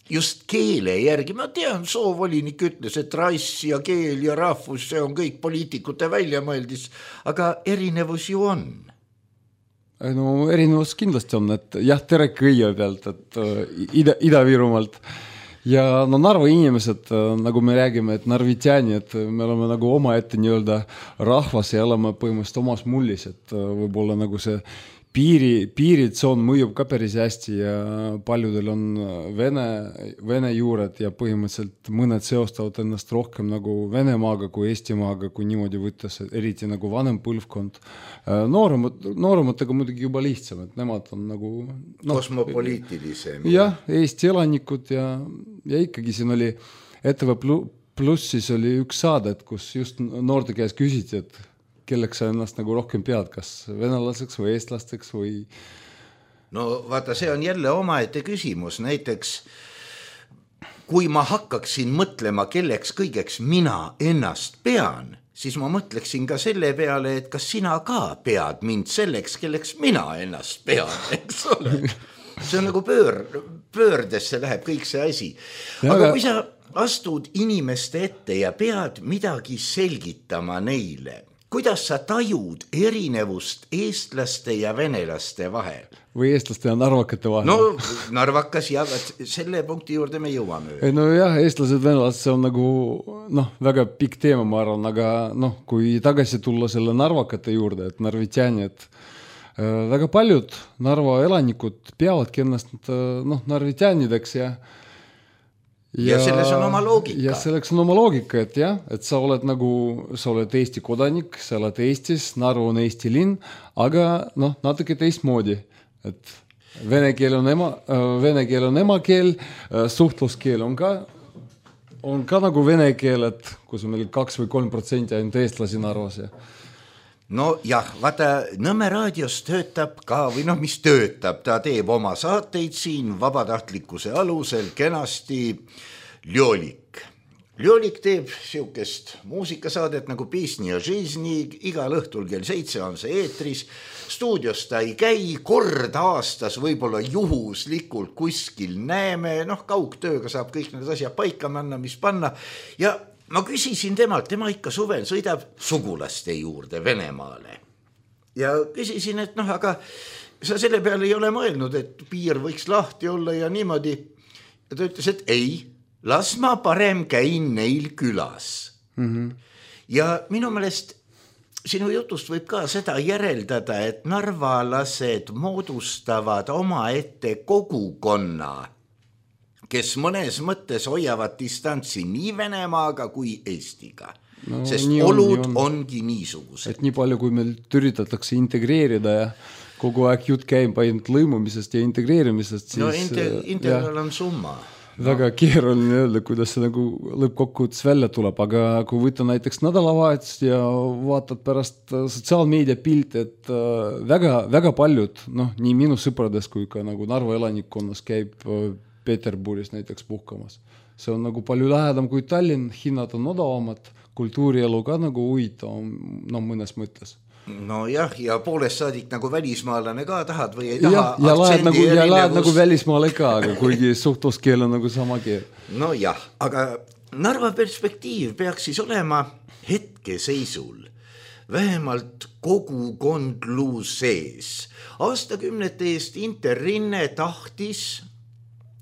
Just keele järgi, ma tean, soovolinik ütles, et rass ja keel ja rahvus, see on kõik poliitikute väljamõeldis, aga erinevus ju on. No erinevus kindlasti on, et jah, tere kõigepealt, et ida, Ida-Virumaalt ja no Narva inimesed, nagu me räägime, et narvitjani, et me oleme nagu oma ette nii-öelda rahvas ja oleme põhimõtteliselt omas mullis, et võib-olla nagu see Piiri, piiritsoon mõjub ka päris hästi ja paljudel on vene, vene juured ja põhimõtteliselt mõned seostavad ennast rohkem nagu Venemaaga kui Eestimaaga, kui niimoodi võttes, eriti nagu vanem põlvkond. Nooremad, noorematega muidugi juba lihtsam, et nemad on nagu no, kosmopoliitilisem. Jah, Eesti elanikud ja, ja ikkagi siin oli E T V Plussis oli üks saadet, kus just noorte käes küsiti, et kelleks sa ennast nagu rohkem pead, kas venelaseks või eestlasteks või... No vaata, see on jälle omaette küsimus. Näiteks, kui ma hakkaksin mõtlema, kelleks kõigeks mina ennast pean, siis ma mõtleksin ka selle peale, et kas sina ka pead mind selleks, kelleks mina ennast pean, eks ole. See on nagu pöör, pöördesse läheb kõik see asi. Aga, aga kui sa astud inimeste ette ja pead midagi selgitama neile, kuidas sa tajud erinevust eestlaste ja venelaste vahel? Või eestlaste ja narvakate vahel? No narvakas ja selle punkti juurde me jõuame. Ei, no jah, eestlased, venelased, see on nagu noh, väga pikk teema, ma arvan, aga noh, kui tagasi tulla selle narvakate juurde, et narvitjani, et äh, väga paljud Narva elanikud peavadki ennast noh, narvitjanideks ja Ja, ja selles on oma loogika. Ja selleks on oma loogika, et jah, et sa oled nagu, sa oled Eesti kodanik, sa oled Eestis, Narva on Eesti linn, aga noh, natuke teistmoodi, et vene keel on ema, vene keel on emakeel, suhtluskeel on ka, on ka nagu vene keel, et kus on meil kaks või kolm protsenti ainult eestlasi Narvas ja no jah, vaata, Nõmme raadios töötab ka, või noh, mis töötab, ta teeb oma saateid siin vabatahtlikkuse alusel kenasti Ljolik. Ljolik teeb siukest muusikasaadet nagu Pisni ja Žizni, igal õhtul kell seitse on see eetris, stuudios ta ei käi, kord aastas võib-olla juhuslikult kuskil näeme, noh, kaugtööga saab kõik need asjad paika manna, mis panna ja ma küsisin temalt, tema ikka suvel sõidab sugulaste juurde Venemaale. Ja küsisin, et noh, aga sa selle peale ei ole mõelnud, et piir võiks lahti olla ja niimoodi. Ja ta ütles, et ei, las ma parem käin neil külas. Mm-hmm. Ja minu meelest sinu jutust võib ka seda järeldada, et narvalased moodustavad oma ette kogukonna, kes mõnes mõttes hoiavad distantsi nii Venemaaga kui Eestiga. No, sest olud on, on. ongi niisugused. Et nii palju, kui meil üritatakse integreerida ja kogu aeg jutt käib ainult lõimumisest ja integreerimisest, siis no inter- integral on summa. Väga no. keeruline öelda, kuidas see nagu lõppkokkuvõttes välja tuleb, aga kui võtta näiteks nädalavahetust ja vaatad pärast sotsiaalmeedia pilt, et väga, väga paljud, noh, nii minu sõprades kui ka nagu Narva elanikkonnas käib Peterburis näiteks puhkamas. See on nagu palju lähedam kui Tallinn, hinnad on odavamad, kultuurielu ka nagu huvitavam, no mõnes mõttes. No jah, ja poolest saadik nagu välismaalane ka tahad või ei taha. Ja, ja lahed nagu, ja lahed nagu välismaale ka, aga kuigi suhtluskeel on nagu sama keel. No jah, aga Narva perspektiiv peaks siis olema hetkeseisul vähemalt kogukondluu sees. Aastakümnete eest Interrinne tahtis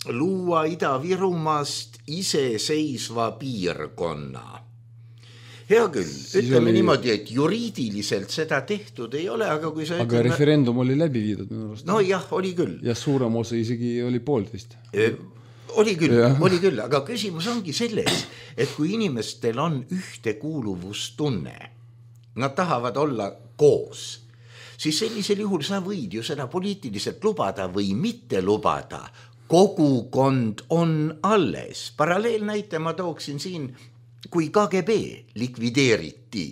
luua Ida-Virumaast iseseisva piirkonna. Hea küll, ütleme oli... niimoodi, et juriidiliselt seda tehtud ei ole, aga kui sa aga ütleme... referendum oli läbi viidud minu arust. No jah, oli küll. Ja suurem osa isegi oli poolteist. E, oli küll, ja. oli küll, aga küsimus ongi selles, et kui inimestel on ühtekuuluvustunne, nad tahavad olla koos, siis sellisel juhul sa võid ju seda poliitiliselt lubada või mitte lubada. Kogukond on alles. Paralleelnäite ma tooksin siin, kui K G B likvideeriti,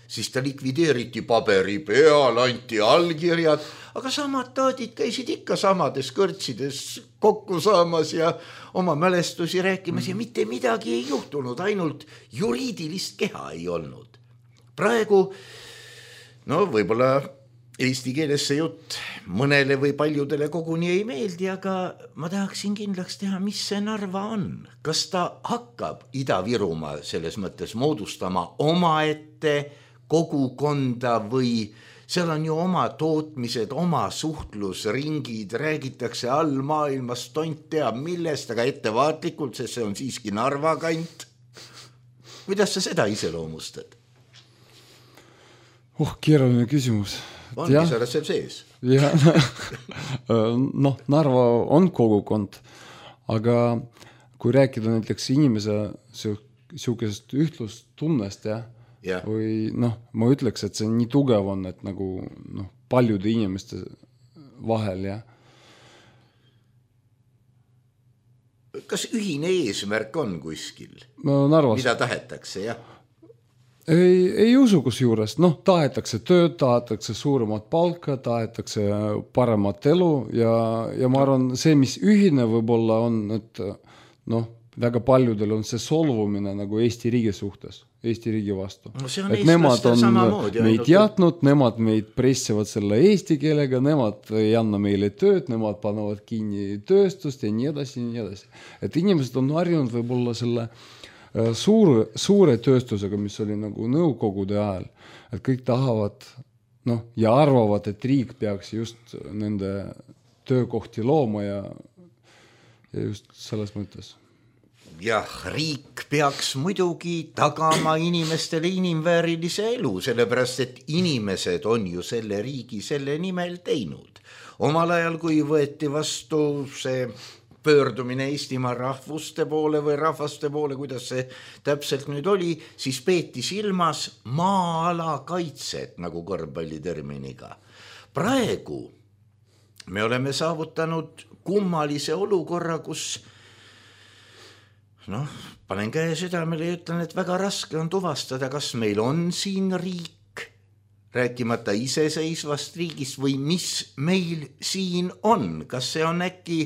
siis ta likvideeriti paberi peal, anti allkirjad, aga samad taadid käisid ikka samades kõrtsides kokku saamas ja oma mälestusi rääkimas ja mitte midagi ei juhtunud, ainult juriidilist keha ei olnud. Praegu, no võib-olla eesti keeles see jutt mõnele või paljudele koguni ei meeldi, aga ma tahaksin kindlaks teha, mis see Narva on. Kas ta hakkab Ida-Virumaa selles mõttes moodustama omaette kogukonda või seal on ju oma tootmised, oma suhtlusringid, räägitakse all maailmas, tont teab millest, aga ettevaatlikult, sest see on siiski Narva kant. Kuidas sa seda iseloomustad? Oh, keeruline küsimus. Ongi sa oled seal sees. Ja, noh, Narva on kogukond, aga kui rääkida näiteks inimese siukesest ühtlustunnest ja, ja. või noh, ma ütleks, et see nii tugev on, et nagu noh, paljude inimeste vahel ja. Kas ühine eesmärk on kuskil? No, Narvas. Mida tahetakse, jah? Ei, ei usu kus juures, noh, tahetakse tööd, tahetakse suuremat palka, tahetakse paremat elu ja, ja ma arvan, see, mis ühine võib-olla on, et noh, väga paljudel on see solvumine nagu Eesti riigi suhtes, Eesti riigi vastu. No see on et nemad on samamoodi, meid jätnud, nemad meid pressivad selle eesti keelega, nemad ei anna meile tööd, nemad panevad kinni tööstust ja nii edasi, nii edasi. Et inimesed on harjunud võib-olla selle suure, suure tööstusega, mis oli nagu nõukogude ajal, et kõik tahavad noh, ja arvavad, et riik peaks just nende töökohti looma ja, ja just selles mõttes. Jah, riik peaks muidugi tagama inimestele inimväärilise elu, sellepärast, et inimesed on ju selle riigi selle nimel teinud. Omal ajal, kui võeti vastu see pöördumine Eestimaa rahvuste poole või rahvaste poole, kuidas see täpselt nüüd oli, siis peeti silmas maa-ala kaitset, nagu korvpalliterminiga. Praegu me oleme saavutanud kummalise olukorra, kus noh, panen käe südamele ja ütlen, et väga raske on tuvastada, kas meil on siin riik, rääkimata iseseisvast riigist või mis meil siin on. Kas see on äkki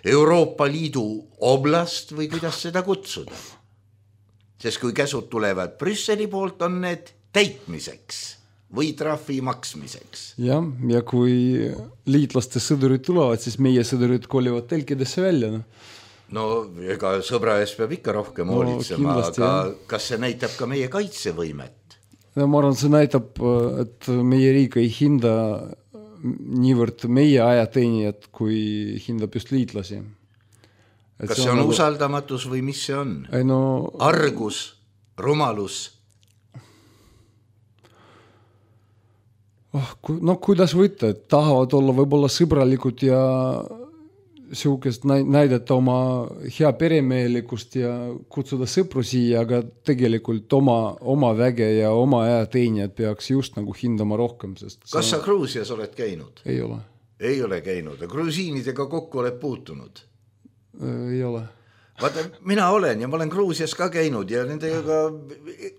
Euroopa Liidu oblast või kuidas seda kutsuda? Sest kui käsud tulevad Brüsseli poolt, on need täitmiseks või trahvi maksmiseks. Ja, ja kui liitlaste sõdurid tulevad, siis meie sõdurid kolivad telkidesse välja, noh. No ega sõbra ees peab ikka rohkem no, hoolitsema, aga jah. Kas see näitab ka meie kaitsevõimet? Ja ma arvan, see näitab, et meie riik ei hinda niivõrd meie ajateenijad, kui hindab just liitlasi. Et kas see on, on nagu... usaldamatus või mis see on? Ei, no... Argus, rumalus? Oh, ku... No kuidas võtta, et tahavad olla võib-olla sõbralikud ja siukest näidata oma hea peremehelikust ja kutsuda sõpru siia, aga tegelikult oma, oma väge ja oma ajateenijad peaks just nagu hindama rohkem. Sest kas sa Gruusias oled käinud? Ei ole. Ei ole käinud. Grusiinidega kokku oled puutunud? Ei ole. Vaata, mina olen ja ma olen Gruusias ka käinud ja nendega,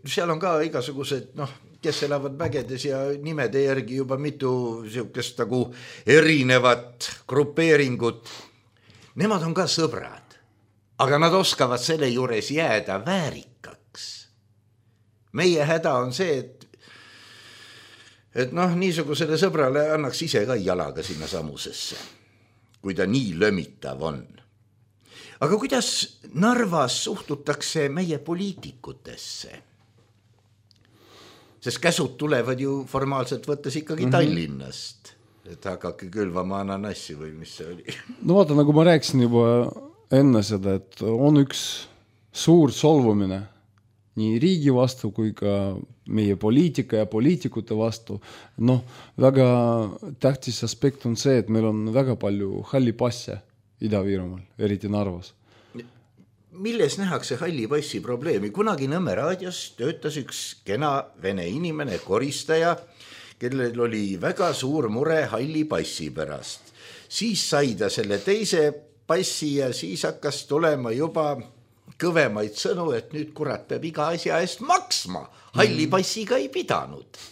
seal on ka igasugused, noh, kes elavad vägedes ja nimede järgi juba mitu siukest nagu erinevat grupeeringut. Nemad on ka sõbrad, aga nad oskavad selle juures jääda väärikaks. Meie häda on see, et, et noh, niisugusele sõbrale annaks ise ka jalaga sinna samusesse, kui ta nii lömitav on. Aga kuidas Narvas suhtutakse meie poliitikutesse? Sest käsud tulevad ju formaalselt võttes ikkagi mm-hmm. Tallinnast. Et hakake külvama ananassi või mis see oli? No vaata, nagu ma rääkisin juba enne seda, et on üks suur solvumine nii riigi vastu kui ka meie poliitika ja poliitikute vastu. Noh, väga tähtis aspekt on see, et meil on väga palju halli passe Ida-Virumaal, eriti Narvas. Milles nähakse halli passi probleemi? Kunagi Nõmme raadios töötas üks kena vene inimene, koristaja, kellel oli väga suur mure halli passi pärast. Siis sai ta selle teise passi ja siis hakkas tulema juba kõvemaid sõnu, et nüüd kurat peab iga asja eest maksma. Halli passiga ei pidanud.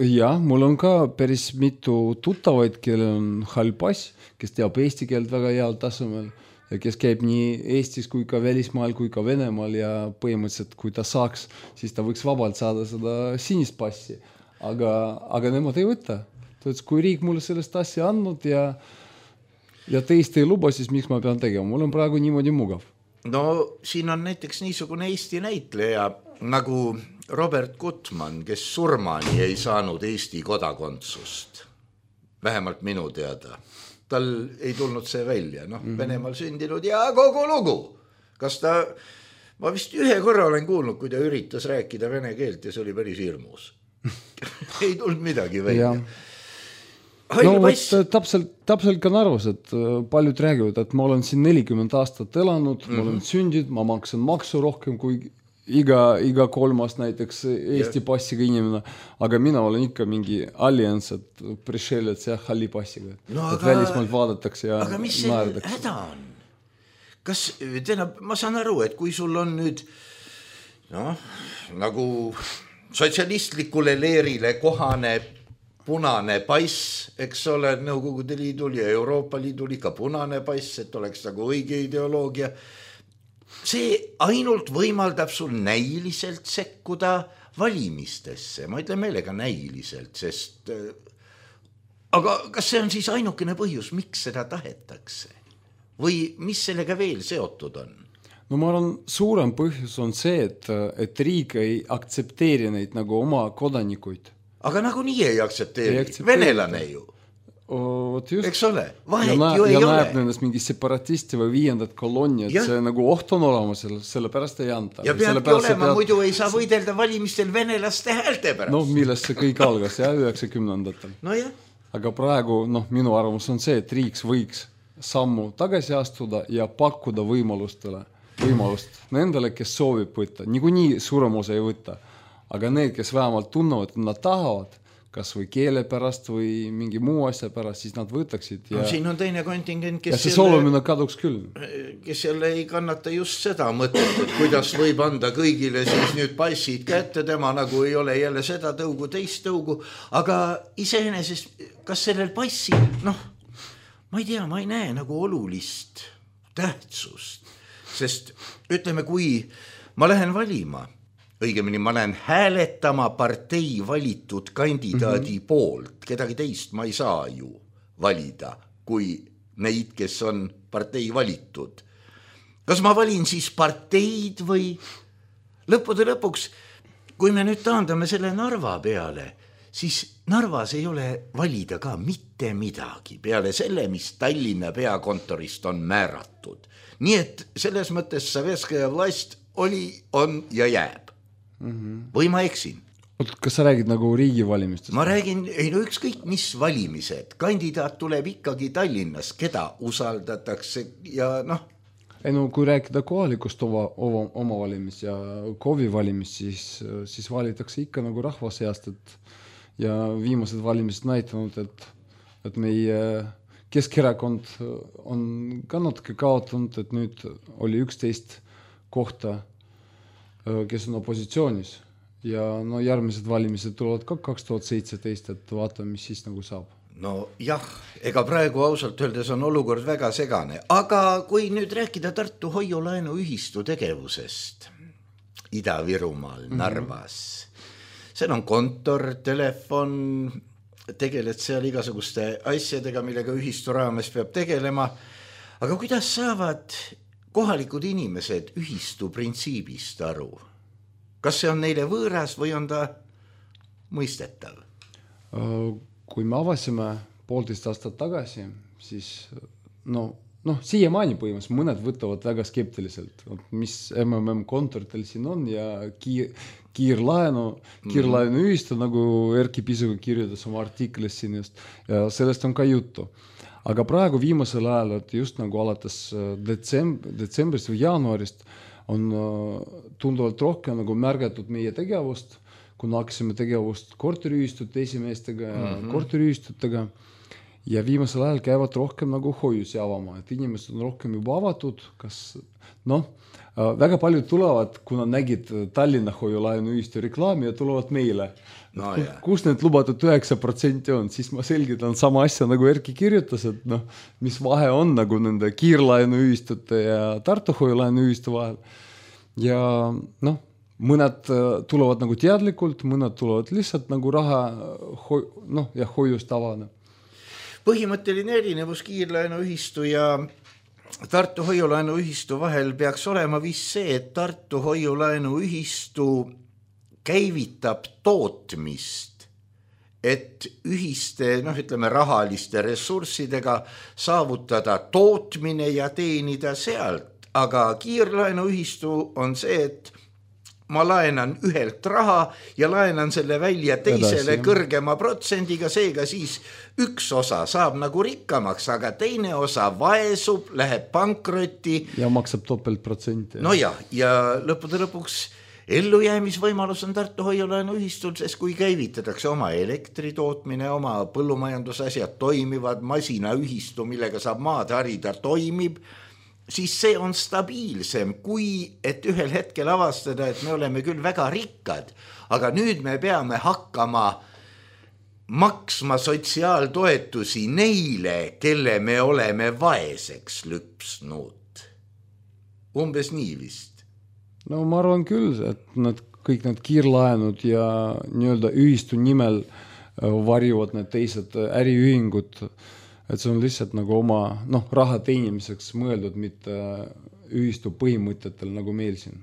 Ja, mul on ka päris mitu tuttavaid, kellel on hall pass, kes teab eesti keelt väga heal tasemel ja kes käib nii Eestis kui ka välismaal kui ka Venemaal ja põhimõtteliselt, kui ta saaks, siis ta võiks vabalt saada seda sinist passi. Aga, aga nemad ei võta. Tõets, kui riik mulle sellest asja andnud ja, ja teist ei luba, siis miks ma pean tegema? Mul on praegu niimoodi mugav. No siin on näiteks niisugune Eesti näitleja nagu Robert Gutmann, kes surmani ei saanud Eesti kodakondsust. Vähemalt minu teada. Tal ei tulnud see välja. Noh, mm-hmm. Venemaal sündinud ja kogu lugu. Kas ta, ma vist ühe korra olen kuulnud, kui ta üritas rääkida vene keelt ja see oli päris hirmus. ei tulnud midagi välja. No võt, täpselt, täpselt ka Narvas, et paljud räägivad, et ma olen siin nelikümmend aastat elanud, mm-hmm. ma olen sündinud, ma maksan maksu rohkem kui iga, iga kolmas näiteks Eesti ja. Passiga inimene, aga mina olen ikka mingi allians, et prišelets ja halli passiga, no, et aga, välismaalt vaadatakse ja aga mis see häda on? Kas, teena, ma saan aru, et kui sul on nüüd noh, nagu sotsialistlikule leerile kohane punane pass, eks ole, Nõukogude Liidul ja Euroopa Liidul ikka punane pass, et oleks nagu õige ideoloogia. See ainult võimaldab sul näiliselt sekkuda valimistesse. Ma ütlen meelega näiliselt, sest aga kas see on siis ainukene põhjus, miks seda tahetakse? Või mis sellega veel seotud on? no ma arvan, suurem põhjus on see, et, et riik ei aktsepteeri neid nagu oma kodanikuid. Aga nagu nii ei aktsepteeri, ei aktsepteeri. Venelane ju. O, just. Eks ole, vahet ja ju ei ja ole. Ja näeb nendest mingi separatisti või viiendat kolonni, et ja. See nagu oht on olema, selle, selle pärast ei anta. Ja peabki olema, pead... muidu ei saa võidelda valimistel venelaste häälte pärast. No millest see kõik algas, jah, üheksakümnendatel. No jah. Aga praegu, noh, minu arvamus on see, et riik võiks sammu tagasi astuda ja pakkuda võimalustele, võimalust nendele, kes soovib võtta. Niikuinii suurem osa ei võtta. Aga need, kes vähemalt tunnevad, et nad tahavad, kas või keele pärast või mingi muu asja pärast, siis nad võtaksid. Ja, no, siin on teine kontingent, kes, ja see soolumine kaduks küll. Kes jälle ei kannata just seda mõtet, et kuidas võib anda kõigile siis nüüd passid kätte, tema nagu ei ole jälle seda tõugu, teist tõugu. Aga iseenesest, kas sellel passil, noh, ma ei tea, ma ei näe nagu olulist tähtsust. Sest ütleme, kui ma lähen valima, õigemini ma lähen hääletama partei valitud kandidaadi mm-hmm. poolt. Kedagi teist ma ei saa ju valida, kui neid, kes on partei valitud. Kas ma valin siis parteid või lõppude lõpuks, kui me nüüd taandame selle Narva peale, siis Narvas ei ole valida ka mitte midagi peale selle, mis Tallinna peakontorist on määratud. Nii et selles mõttes Sovetskaja vlast oli, on ja jääb. Mm-hmm. Või ma eksin? Kas sa räägid nagu riigivalimistest? Ma räägin, ei no ükskõik mis valimised. Kandidaat tuleb ikkagi Tallinnas, keda usaldatakse ja noh. Ei no kui rääkida kohalikust oma, oma, oma valimist ja KOV-i valimist, siis, siis valitakse ikka nagu rahva seast, et ja viimased valimised näitanud, et, et meie Keskerakond on ka natuke kaotanud, et nüüd oli üksteist kohta, kes on opositsioonis ja no järgmised valimised tulevad ka kaks tuhat seitseteist, et vaatame, mis siis nagu saab. No jah, ega praegu ausalt öeldes on olukord väga segane, aga kui nüüd rääkida Tartu hoiulaenu ühistu tegevusest Ida-Virumaal, Narvas, mm-hmm. seal on kontor, telefon, tegeled seal igasuguste asjadega, millega ühistu raames peab tegelema, aga kuidas saavad kohalikud inimesed ühistu printsiibist aru? Kas see on neile võõras või on ta mõistetav? Kui me avasime poolteist aastat tagasi, siis no, no siiamaani põhimõtteliselt mõned võtavad väga skeptiliselt, mis M M M kontoritel siin on ja kiir, kiirlaenu, kiirlaenu ühistu, nagu Erki Pisuga kirjutas oma artiklis siin just, ja sellest on ka juttu. Aga praegu viimasel ajal, et just nagu alates detsemb- detsembrist või jaanuarist on tunduvalt rohkem nagu märgatud meie tegevust, kuna hakkasime tegevust korteriühistute esimeestega ja mm-hmm. korteriühistutega ja viimasel ajal käivad rohkem nagu hoiusi avama, et inimesed on rohkem juba avatud, kas noh, väga paljud tulevad, kuna nägid Tallinna hoiulaenu ühistu reklaami ja tulevad meile. No, kus, kus need lubatud üheksa protsenti on, siis ma selgitan sama asja nagu Erki kirjutas, et noh, mis vahe on nagu nende kiirlaenu ühistute ja Tartu hoiulaenu ühistu vahel. Ja noh, mõned tulevad nagu teadlikult, mõned tulevad lihtsalt nagu raha hoi, noh, ja hoiust avana. Põhimõtteline erinevus kiirlaenu ühistu ja Tartu hoiulaenu ühistu vahel peaks olema vist see, et Tartu hoiulaenu ühistu käivitab tootmist, et ühiste, noh ütleme, rahaliste ressurssidega saavutada tootmine ja teenida sealt. Aga kiirlaenu ühistu on see, et ma laenan ühelt raha ja laenan selle välja teisele Edasi, kõrgema protsendiga, seega siis üks osa saab nagu rikkamaks, aga teine osa vaesub, läheb pankrotti. Ja maksab topelt protsenti. No ja, ja lõppude lõpuks ellujäämisvõimalus on Tartu hoiulaenu ühistul, sest kui käivitatakse oma elektritootmine, oma põllumajandusasjad toimivad, masina ühistu, millega saab maad harida, toimib, siis see on stabiilsem, kui et ühel hetkel avastada, et me oleme küll väga rikkad, aga nüüd me peame hakkama maksma sotsiaaltoetusi neile, kelle me oleme vaeseks lüpsnud. Umbes nii vist. No ma arvan küll, et nad, kõik need kiirlaenud ja nii-öelda ühistu nimel varjuvad need teised äriühingud, et see on lihtsalt nagu oma noh, raha teenimiseks mõeldud, mitte ühistu põhimõtetel nagu meil siin.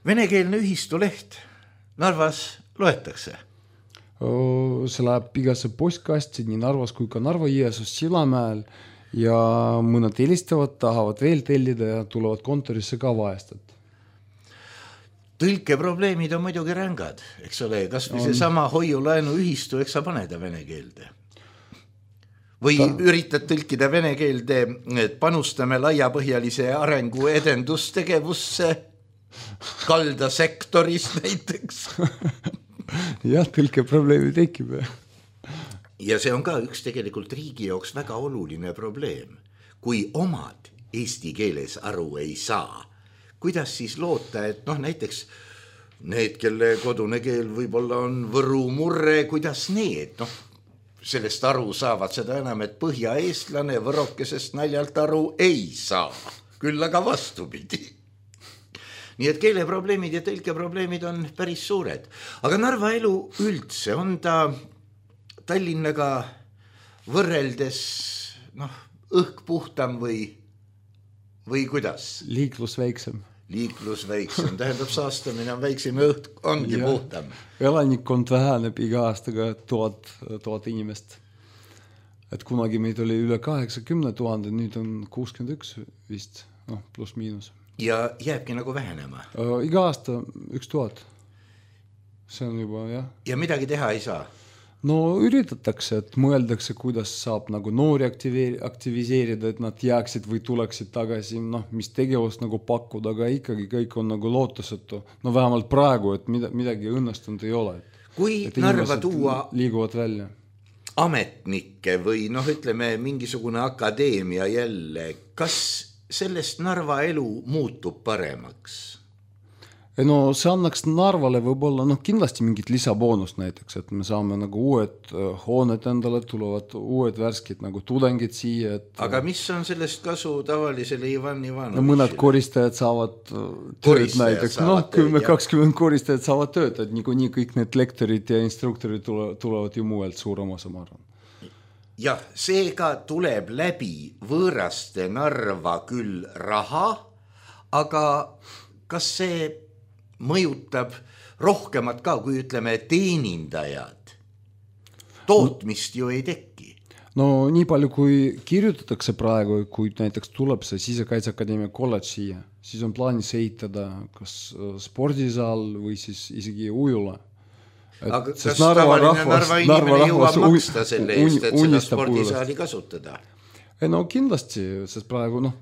Venekeelne ühistu leht Narvas loetakse? See läheb igasse postkasti nii Narvas kui ka Narva-Jõesuus Sillamäel ja mõned helistavad, tahavad veel tellida ja tulevad kontorisse ka vahestat. Tõlkeprobleemid on muidugi rängad, eks ole, kas või see sama hoiulaenu ühistu, eks sa paneda vene keelde? Või Ta... üritad tõlkida vene keelde, et panustame laiapõhjalise arengu edendustegevusse kaldasektoris näiteks? Jah, tõlkeprobleemi tekib. Ja see on ka üks tegelikult riigi jaoks väga oluline probleem. Kui omad eesti keeles aru ei saa, kuidas siis loota, et noh, näiteks need, kelle kodune keel võib-olla on võru murre, kuidas need, noh, sellest aru saavad, seda enam, et põhjaeestlane võrokesest naljalt aru ei saa, küll aga vastupidi. Nii et keeleprobleemid ja tõlkeprobleemid on päris suured. Aga Narva elu üldse on ta Tallinnaga võrreldes noh, õhk puhtam või, või kuidas? Liiklus väiksem. Liiklus väiksem, tähendab saastamine on väiksem ja õhk ongi ja puhtam. Elanikkond väheneb iga aastaga tuhat, tuhat inimest. Et kunagi meid oli üle kaheksakümne tuhande, nüüd on kuuskümmend üks vist, noh, pluss miinus. Ja jääbki nagu vähenema? Iga aasta üks tuhat. See on juba, jah. Ja midagi teha ei saa? No üritatakse, et mõeldakse, kuidas saab nagu noori aktiviseerida, et nad jääksid või tuleksid tagasi, noh, mis tegevust nagu pakkuda, aga ikkagi kõik on nagu lootusetu. No vähemalt praegu, et midagi õnnestunud ei ole. Kui Narva tuua liiguvad välja ametnikke või noh, ütleme mingisugune akadeemia jälle, kas sellest Narva elu muutub paremaks? No see annaks Narvale võib-olla, noh kindlasti mingit lisaboonust näiteks, et me saame nagu uued hooned endale, tulevad uued värskid nagu tudengid siia. Et... Aga mis on sellest kasu tavalisele Ivan Ivanovitšile? No mõned koristajad saavad tööd näiteks, noh kümme kakskümmend koristajad saavad tööd, et nii, nii kõik need lektorid ja instruktorid tulevad ju muuelt suurem osa, ma arvan. Jah, seega tuleb läbi võõraste Narva küll raha, aga kas see mõjutab rohkemat ka, kui ütleme teenindajad? Tootmist ju ei teki. No nii palju, kui kirjutatakse praegu, kui näiteks tuleb see Sisekaitseakadeemia kolledž siia, siis on plaanis ehitada kas spordisaal või siis isegi ujula. Et, aga kas Narva tavaline rahvas, Narva inimene jõuab maksta selle eest, et seda spordisaali kasutada? No kindlasti, sest praegu noh,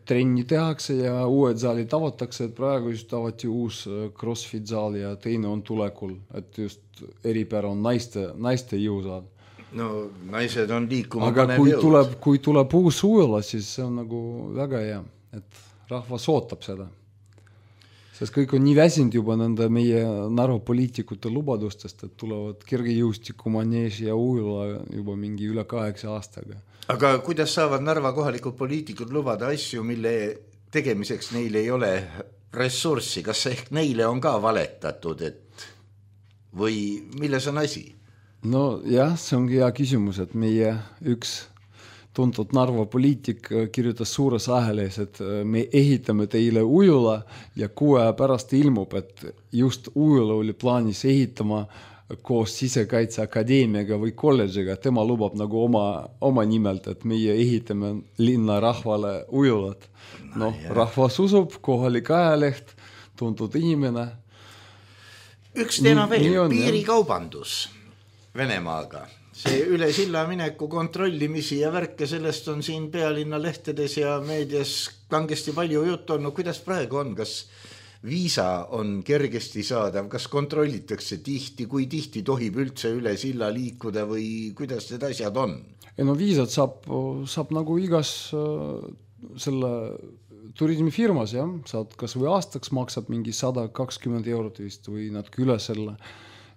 trenni tehakse ja uued saalid avatakse, et praegu just avati uus CrossFit saal ja teine on tulekul, et just eripära on naiste, naiste jõusaal. No naised on liikuma aga kui tuleb, kui tuleb uus ujula, siis see on nagu väga hea, et rahvas ootab seda. Sest kõik on nii väsinud juba nende meie Narva poliitikute lubadustest, et tulevad kergejõustiku maneež ja ujula juba mingi üle kaheksa aastaga. Aga kuidas saavad Narva kohalikud poliitikud lubada asju, mille tegemiseks neil ei ole ressurssi? Kas ehk neile on ka valetatud, et või milles on asi? No jah, see ongi hea küsimus, et meie üks tuntud Narva poliitik kirjutas suures ahelees, et me ehitame teile ujula ja kuue pärast ilmub, et just ujula oli plaanis ehitama koos Sisekaitseakadeemiaga või kolledžiga. Tema lubab nagu oma, oma nimelt, et meie ehitame linna rahvale ujulat. No, no rahvas usub, kohalik ajaleht, tuntud inimene. Üks teema veel, on, piirikaubandus Venemaaga. See üle silla mineku kontrollimisi ja värke, sellest on siin pealinna lehtedes ja meedias kangesti palju juttu on. No kuidas praegu on? Kas viisa on kergesti saadav? Kas kontrollitakse tihti? Kui tihti tohib üldse üle silla liikuda või kuidas need asjad on? Ja no viisad saab, saab nagu igas selle turismifirmas, jah. Saad kas või aastaks maksab mingi sada kakskümmend eurot vist või natuke üle selle.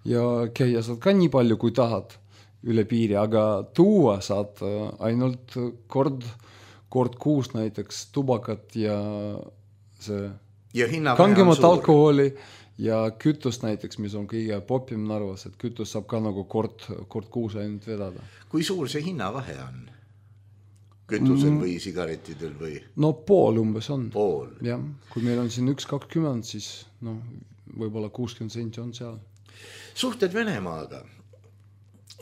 Ja käia saad ka nii palju, kui tahad üle piiri, aga tuua saad ainult kord, kord kuus näiteks tubakat ja see ja kangemat alkoholi ja kütust näiteks, mis on kõige popim Narvas, et kütus saab ka nagu kord, kord kuus ainult vedada. Kui suur see hinnavahe on? kütusel või sigaretidel või? No pool umbes on. Pool? Jah, kui meil on siin üks kakskümmend, siis no, võib-olla kuuskümmend senti on seal. Suhted Venemaaga.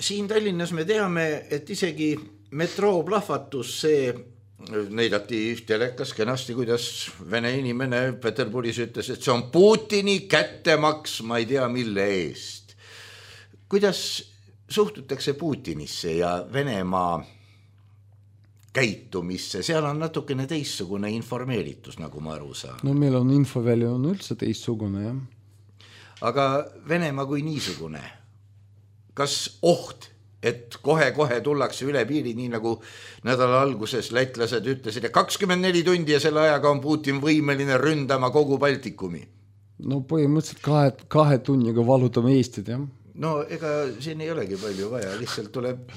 Siin Tallinnas me teame, et isegi metroo plahvatus see näidati telekas kenasti, kuidas vene inimene Peterburis ütles, et see on Putini kättemaks, ma ei tea mille eest. Kuidas suhtutakse Putinisse ja Venemaa käitumisse? Seal on natukene teissugune informeeritus, nagu ma aru saan. No meil on infovälja on üldse teissugune, jah. Aga Venemaa kui niisugune, kas oht, et kohe-kohe tullakse üle piiri, nii nagu nädala alguses lätlased ütlesid, et kakskümmend neli tundi ja selle ajaga on Putin võimeline ründama kogu Baltikumi? No põhimõtteliselt kahe, kahe tunniga valutame Eestit, jah. No ega siin ei olegi palju vaja, lihtsalt tuleb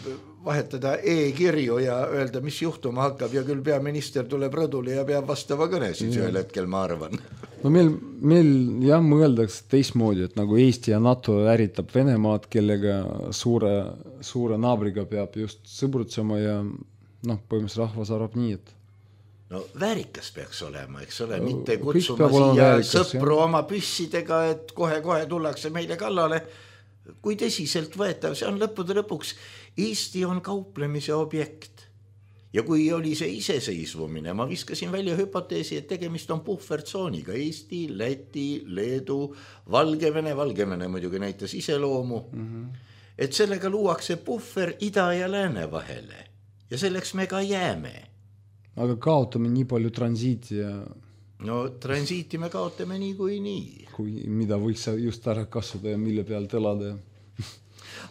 vahetada e-kirju ja öelda, mis juhtuma hakkab ja küll peaminister tuleb rõdule ja peab vastava kõne siis ühel hetkel, ma arvan. No meil, meil jah mõeldaks teistmoodi, et nagu Eesti ja NATO äritab Venemaad, kellega suure, suure naabriga peab just sõbrutsema ja noh, põhimõtteliselt rahvas arvab nii, et no väärikas peaks olema, eks ole, mitte kutsuma siia väärikas, sõpru jah. Oma püssidega, et kohe-kohe tullakse meile kallale. Kui tõsiselt võetav, see on lõppude lõpuks. Eesti on kauplemise objekt. Ja kui oli see iseseisvumine, ma viskasin välja hüpoteesi, et tegemist on puhvertsooniga. Eesti, Läti, Leedu, Valgevene, Valgevene muidugi näitas iseloomu. Mm-hmm. Et sellega luuakse puhver ida ja lääne vahele. Ja selleks me ka jääme. Aga kaotame nii palju transiiti ja... No transiiti me kaotame nii kui nii. Kui mida võiks just ära kasvada ja mille peal elada.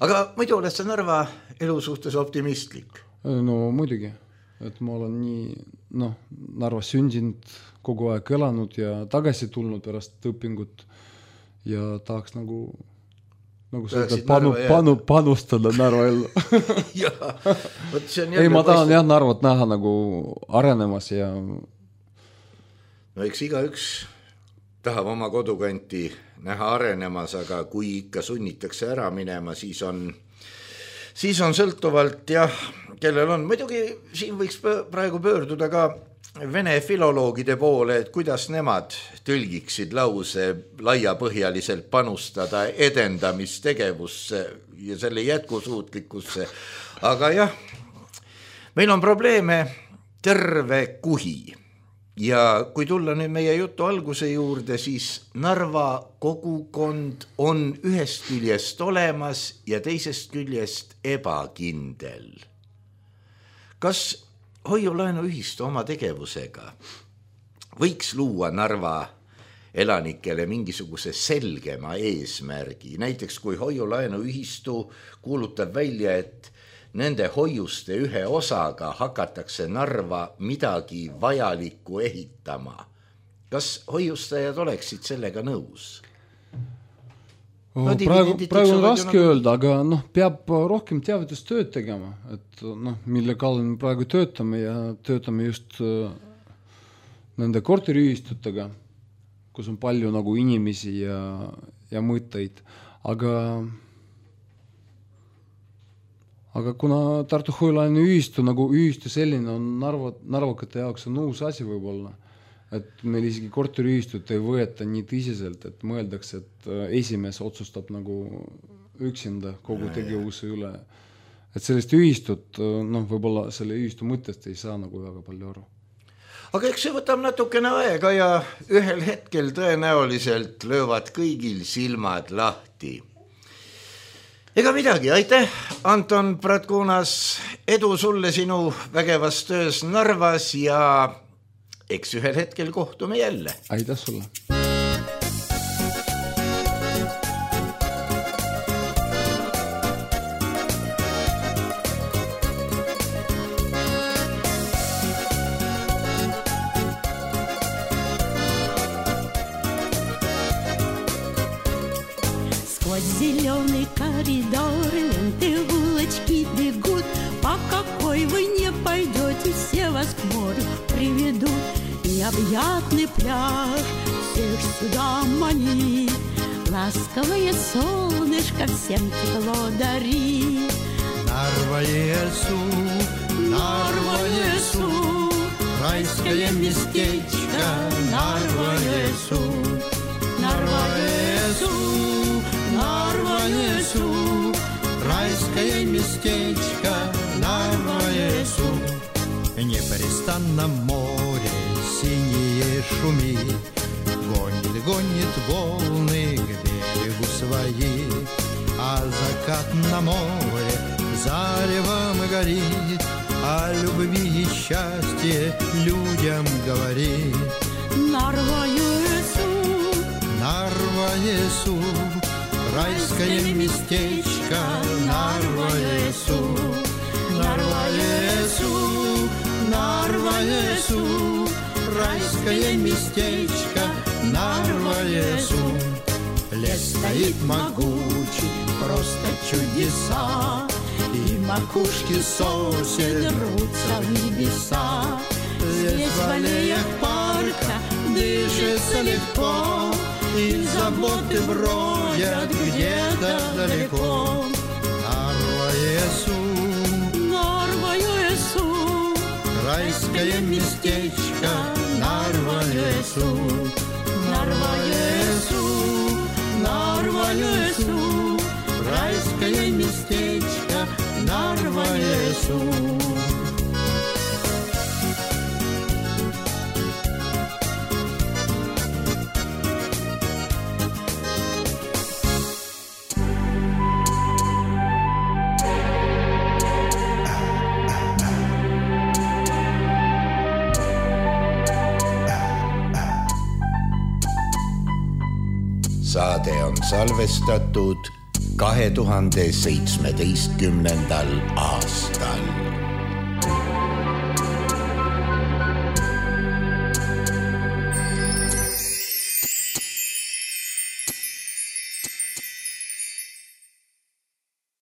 Aga muidu oled sa Narva elu suhtes optimistlik? No muidugi, et ma olen nii, noh, Narvas sündinud, kogu aeg elanud ja tagasi tulnud pärast õpingut ja tahaks nagu, nagu seda panu, panu, panustada Narva ellu. Jaa, võt see on jälle... Ei, ma tahan jah Narvat näha nagu arenemas ja... No eks iga üks tahab oma kodukanti näha arenemas, aga kui ikka sunnitakse ära minema, siis on, siis on sõltuvalt jah, kellel on. Muidugi siin võiks praegu pöörduda ka vene filoloogide poole, et kuidas nemad tõlgiksid lause laiapõhjaliselt panustada edendamistegevusse ja selle jätkusuutlikkusse. Aga jah, meil on probleeme terve kuhi. Ja kui tulla nüüd meie jutu alguse juurde, siis Narva kogukond on ühest küljest olemas ja teisest küljest ebakindel. Kas hoiulaenu ühistu oma tegevusega võiks luua Narva elanikele mingisuguse selgema eesmärgi? Näiteks kui hoiulaenu ühistu kuulutab välja, et nende hoiuste ühe osaga hakatakse Narva midagi vajalikku ehitama. Kas hoiustajad oleksid sellega nõus? Oh, no, praegu praegu on raske nagu... öelda, aga noh, peab rohkem teavitustööd tegema, et noh, mille kallal me praegu töötame ja töötame just nende korteriühistutega, kus on palju nagu inimesi ja, ja mõtteid, aga Aga kuna Tartu hoiulaenu ühistu, nagu ühistu selline on Narva, narvakate jaoks on uus asi võib-olla, et meil isegi korteriühistut ei võeta nii tõsiselt, et mõeldakse, et esimees otsustab nagu üksinda kogu tegevuse üle. Et sellest ühistut, noh, võib-olla selle ühistu mõttest ei saa nagu väga palju aru. Aga eks see võtab natukene aega ja ühel hetkel tõenäoliselt löövad kõigil silmad lahti. Ega midagi, aitäh, Anton Pratkunas, edu sulle sinu vägevas töös Narvas ja eks ühel hetkel kohtume jälle. Aitäh sulle. Зеленый коридор, ленты улочки бегут. По какой вы не пойдете, все вас к морю приведут. Необъятный пляж всех сюда манит. Ласковое солнышко всем тепло дарит. Narva-Jõesuu Narva-Jõesuu, raiskaje местечко, Narva-Jõesuu, Narva-Jõesuu, Narva-Jõesuu, райское местечко, Нарва-Jõesuu. Непрестанно море синее шумит, гонит, гонит волны к берегу свои, а закат на море заревом горит, о любви и счастье людям говорит. Нарва-Jõesuu, Нарва-Jõesuu, райское местечко, Нарва-Jõesuu, Нарва-Jõesuu, Нарва-Jõesuu, райское местечко, Нарва-Jõesuu. Лес стоит могучий, просто чудеса, и макушки сосен рвутся в небеса. Здесь в аллеях парка дышится легко, и заботы бродят где-то далеко. Нарва-Jõesuu, Нарва-Jõesuu, райское местечко, Нарва-Jõesuu, Нарва-Jõesuu, Нарва-Jõesuu, райское местечко, Нарва-Jõesuu. Saade on salvestatud kahe tuhande seitsmeteistkümnendal aastal.